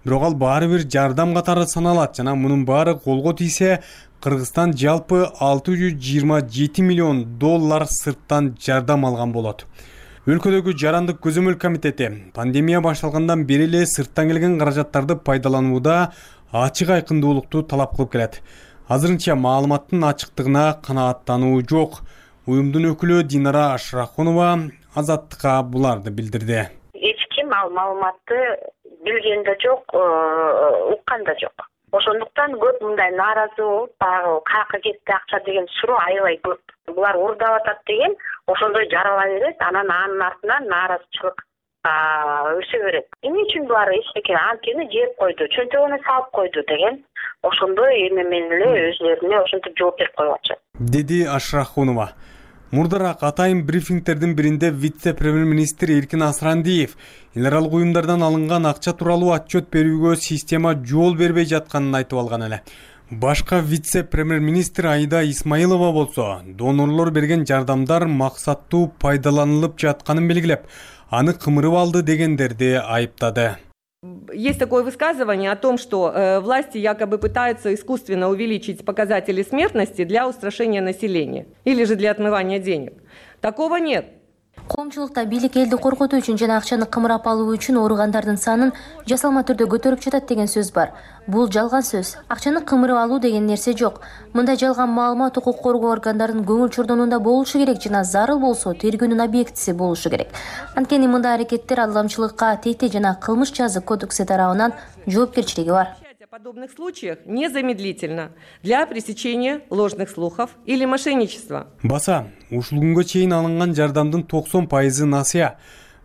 Бирок ал баары бир жардам катары саналат жана мунун баары колго тийсе, Кыргызстан жалпы алты жүз жыйырма жети миллион доллар сырттан жардам алган болот. Өлкөдөгү жарандык көзөмөл комитети пандемия башталгандан бери эле сырттан келген каражаттарды пайдаланууда ачык айкындуулукту талап кылып келет. Азырынча маалыматтын ачыктыгына канааттануу жок. Уюмдун өкүлү Динара Ашрахунова Азаттыкка буларды билдирди. Эч ким ал маалыматты билген да жок, уккан да жок. Ошондуктан көп мындай нааразы болуп, баягы каяка кетти акча деген суроо аябай көп. Булар уурдап атат деген ошондой жарала берет, анан анын артынан нааразычылык өсө берет. Эмне үчүн булар эчтеке анткени жеп койду, чөнтөгүнө салып койду деген ошондой эме менен эле өзүлөрүнө ошентип жооп берип коюп атышат, деди Ашрахунова. Мурдараак атайын брифингтердин биринде вице-премьер-министр Эркин Асрандиев эл аралык уюмдардан алынган акча тууралуу отчет берүүгө система жол бербей жатканын айтып алган эле. Башка вице-премьер-министр Аида Исмаилова болсо, донорлор берген жардамдар максаттуу пайдаланылып жатканын белгилеп, аны кымырып алды дегендерди айыптады. Есть такое высказывание о том, что э, власти якобы пытаются искусственно увеличить показатели смертности для устрашения населения или же для отмывания денег. Такого нет. Коомчулукта бийлик элди коркутуу үчүн жана акчаны кымырап алуу үчүн ооругандардын санын жасалма түрдө көтөрүп жатат деген сөз бар. Бул жалган сөз. Акчаны кымырып алуу деген нерсе жок. Мындай жалган маалымат укук коргоо органдарынын көңүл чордонунда болушу керек жана зарыл болсо тергөөнүн объектиси болушу керек. Анткени мындай аракеттер алдамчылыкка, тете жана кылмыш жазык кодекси тарабынан жоопкерчилиги бар. В подобных случаях незамедлительно для пресечения ложных слухов или мошенничества. Баса, ушул күнгө чейин алынган жардамдын токсон пайызы насыя.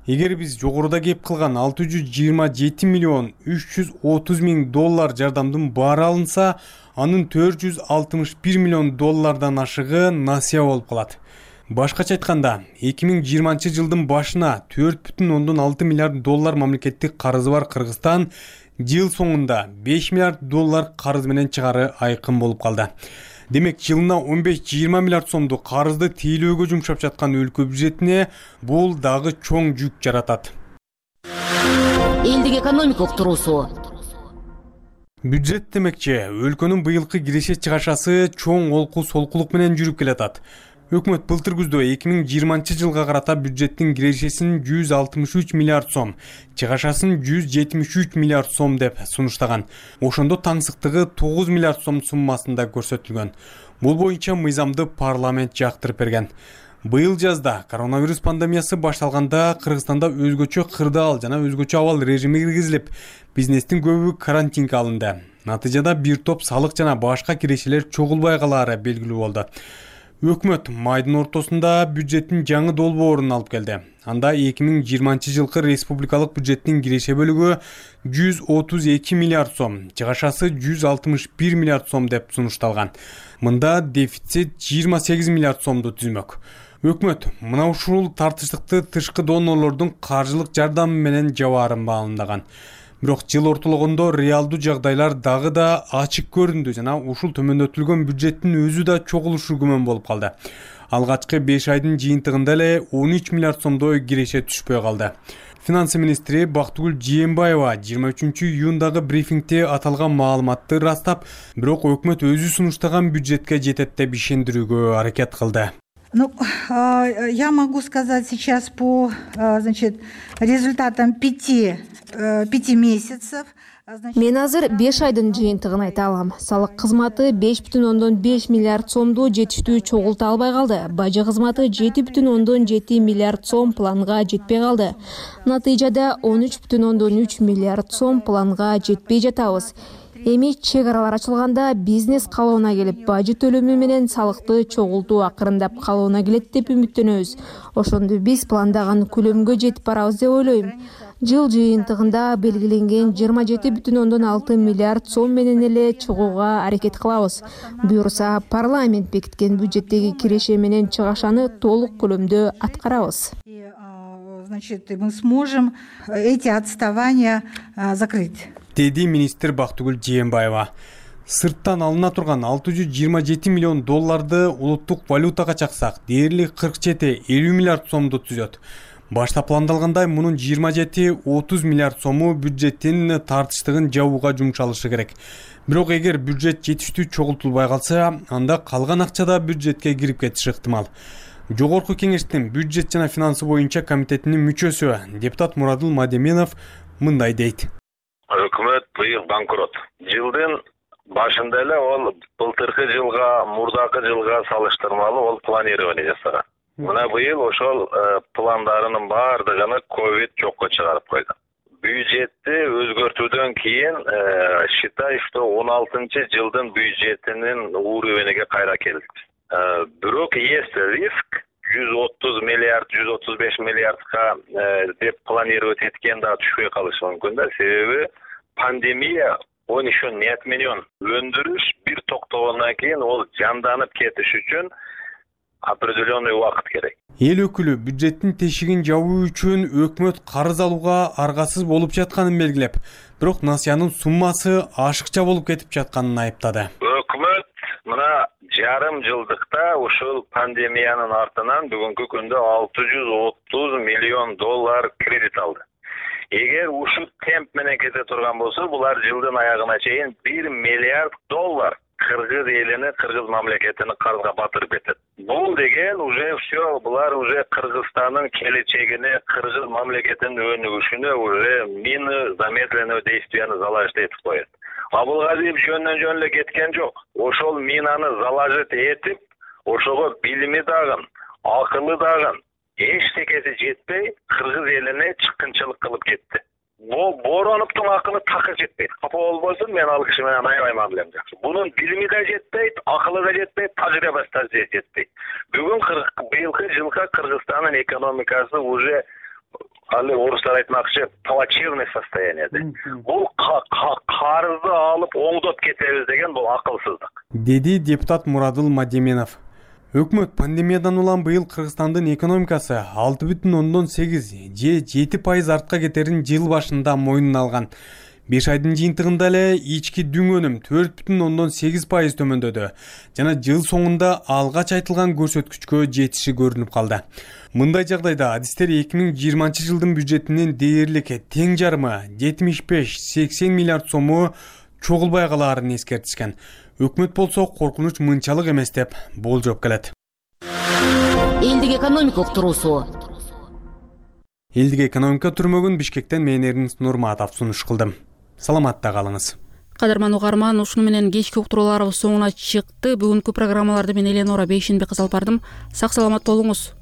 Эгер биз жогоруда кеп кылган алты жүз жыйырма жети миллион үч жүз отуз миң доллар жардамдын баары алынса, анын төрт жүз алтымыш бир миллион доллардан ашыгы насыя болуп калат. Башкача айтканда, эки миң жыйырманчы жылдын башына төрт бүтүн ондон алты миллиард доллар мамлекеттик карызы бар Кыргызстан жыл соңунда беш миллиард доллар карыз менен чыгары айкын болуп калды. Демек, жылына он беш жыйырма миллиард сомду карызды тейлөөгө жумшап жаткан өлкө бюджетине бул дагы чоң жүк жаратат. Элдик экономикалык туруусу. Бюджет демекчи, өлкөнүн быйылкы киреше чыгашасы чоң олку солкулук менен жүрүп келатат. Өкмөт былтыр күздө эки миң жыйырманчы жылга карата бюджеттин кирешесин жүз алтымыш үч миллиард сом, чыгашасын жүз жетимиш үч миллиард сом деп сунуштаган. Ошондо таңсыктыгы тогуз миллиард сом суммасында көрсөтүлгөн. Бул боюнча мыйзамды парламент жактырып берген. Быйыл жазда коронавирус пандемиясы башталганда Кыргызстанда өзгөчө кырдаал жана өзгөчө абал режими киргизилип, бизнестин көбү карантинге алынды. Натыйжада бир топ салык жана башка кирешелер чогулбай калаары белгилүү болду. Өкмөт майдын ортосунда бюджеттин жаңы долбоорун алып келди. Анда эки миң жыйырманчы жылкы республикалык бюджеттин киреше бөлүгү жүз отуз эки миллиард сом, чыгашасы жүз алтымыш бир миллиард сом деп сунушталган. Мында дефицит жыйырма сегиз миллиард сомду түзмөк. Өкмөт мына ушул тартыштыкты тышкы донорлордун каржылык жардамы менен жабаарын баамдаган. Бирок жыл ортологондо реалдуу жагдайлар дагы да ачык көрүндү жана ушул төмөндөтүлгөн бюджеттин өзү да чогулушу күмөн болуп калды. Алгачкы беш айдын жыйынтыгында эле он үч миллиард сомдой киреше түшпөй калды. Финансы министри Бактыгүл Жээнбаева жыйырма үчүнчү июндагы брифингде аталган маалыматты ырастап, бирок өкмөт өзү сунуштаган бюджетке жетет деп ишендирүүгө аракет кылды. Ну, я могу сказать сейчас по, значит, результатам пяти, пяти месяцев. Мен азыр беш айдын жыйынтыгын айта алам. Салык кызматы беш бүтүн ондон беш миллиард сомду жетиштүү чогулта албай калды. Бажы кызматы жети бүтүн ондон жети миллиард сом планга жетпей калды. Натыйжада он үч бүтүн ондон үч миллиард сом планга жетпей жатабыз. Эми чек аралар ачылганда бизнес калыбына келип, бажы төлөмү менен салыкты чогултуу акырындап калыбына келет деп үмүттөнөбүз. Ошондо биз пландаган көлөмгө жетип барабыз деп ойлойм. Жыл жыйынтыгында белгиленген жыйырма жети бүтүн ондон алты миллиард сом менен эле чыгууга аракет кылабыз. Буюрса, парламент бекиткен бюджеттеги киреше менен чыгашаны толук көлөмдө аткарабыз. Значит, мы сможем эти отставания закрыть. Деди министр Бактыгүл Жээнбаева. Сырттан алына турган алты жүз жыйырма жети миллион долларды улуттук валютага чаксак, дээрлик кырк жети элүү миллиард сомду түзөт. Башта пландалгандай мунун жыйырма жети отуз миллиард сому бюджеттин тартыштыгын жабууга жумшалышы керек. Бирок эгер бюджет жетиштүү чогултулбай калса, анда калган акча да бюджетке кирип кетиши ыктымал. Жогорку кеңештин бюджет жана финансы боюнча комитетинин мүчөсү депутат Мурадыл Мадеменов мындай дейт. Өкмөт быйыл банкрот. Жылдын башында эле ол былтыркы жылга, мурдакы жылга салыштырмалуу ол планирование жасаган. Мына быйыл ошол пландарынын баардыгын ковид жокко чыгарып койду. Бюджетти өзгөртүүдөн кийин считай, что он алтынчы жылдын бюджетинин уровениге кайра келдик. Бирок есть риск, жүз отуз миллиард жүз отуз беш миллиардка деп планировать эткен да түшпөй калышы мүмкүн да. Себеби пандемия он еще не отменен. Өндүрүш бир токтогондон кийин ол жанданып кетиш үчүн определенный убакыт керек. Эл өкүлү бюджеттин тешигин жабуу үчүн өкмөт карыз алууга аргасыз болуп жатканын белгилеп, бирок насыянын суммасы ашыкча болуп кетип жатканын айыптады. Өкмөт мына жарым жылдыкта ушул пандемиянын артынан бүгүнкү күндө алты жүз отуз миллион доллар кредит алды. Эгер ушул темп менен кете турган болсо, булар жылдын аягына чейин бир миллиард доллар кыргыз элини, кыргыз мамлекетини карызга батырып кетет. Бул деген уже все, булар уже Кыргызстандын келечегине, кыргыз мамлекетинин өнүгүшүнө уже мины замедленного действияны заложить этип коет. Абылгазиев жөндөн жөн эле кеткен жок. Ошол минаны заложить этип, ошого билими дагы, акылы дагы эчтекеси жетпей, кыргыз элине чыккынчылык кылып кетти. Бул Бороновдун акылы такыр жетпейт. Капа болбосун, мен ал киши менен аябай билем жакшы. Бунун билими да жетпейт, акылы да жетпейт, тажрыйбасы да жетпейт. Бүгүн быйылкы жылга Кыргызстандын экономикасы уже али орустар айтмакчы плачевный состоянияда. Бул карызды алып оңдоп кетебиз деген бул акылсыздык. Деди депутат Мурадыл Мадеменов. Өкмөт пандемиядан улам быйыл Кыргызстандын экономикасы алты бүтүн ондон сегиз же жети пайыз артка кетерин жыл башында мойнуна алган. беш айдын жыйынтыгында эле ички дүң өнүм төрт бүтүн ондон сегиз пайыз төмөндөдү жана жыл соңунда алгач айтылган көрсөткүчкө жетиши көрүнүп калды. Мындай жагдайда адистер эки миң жыйырманчы жылдын бюджетинин дээрлик тең жарымы жетимиш беш сексен миллиард сому чогулбай калаарын эскертишкен. Өкмөт болсо коркунуч мынчалык эмес деп болжоп келет. Элдик экономика уктуруусу. Элдик экономика түрмөгүн Бишкектен мен Эрнест Нурматов сунуш кылдым. Саламатта калыңыз. Кадырман угарман, ушуну менен кечки уктурууларыбыз соңуна чыкты. Бүгүнкү программаларды мен Эленора Бейшенбек алып бардым. Сак саламат болуңуз.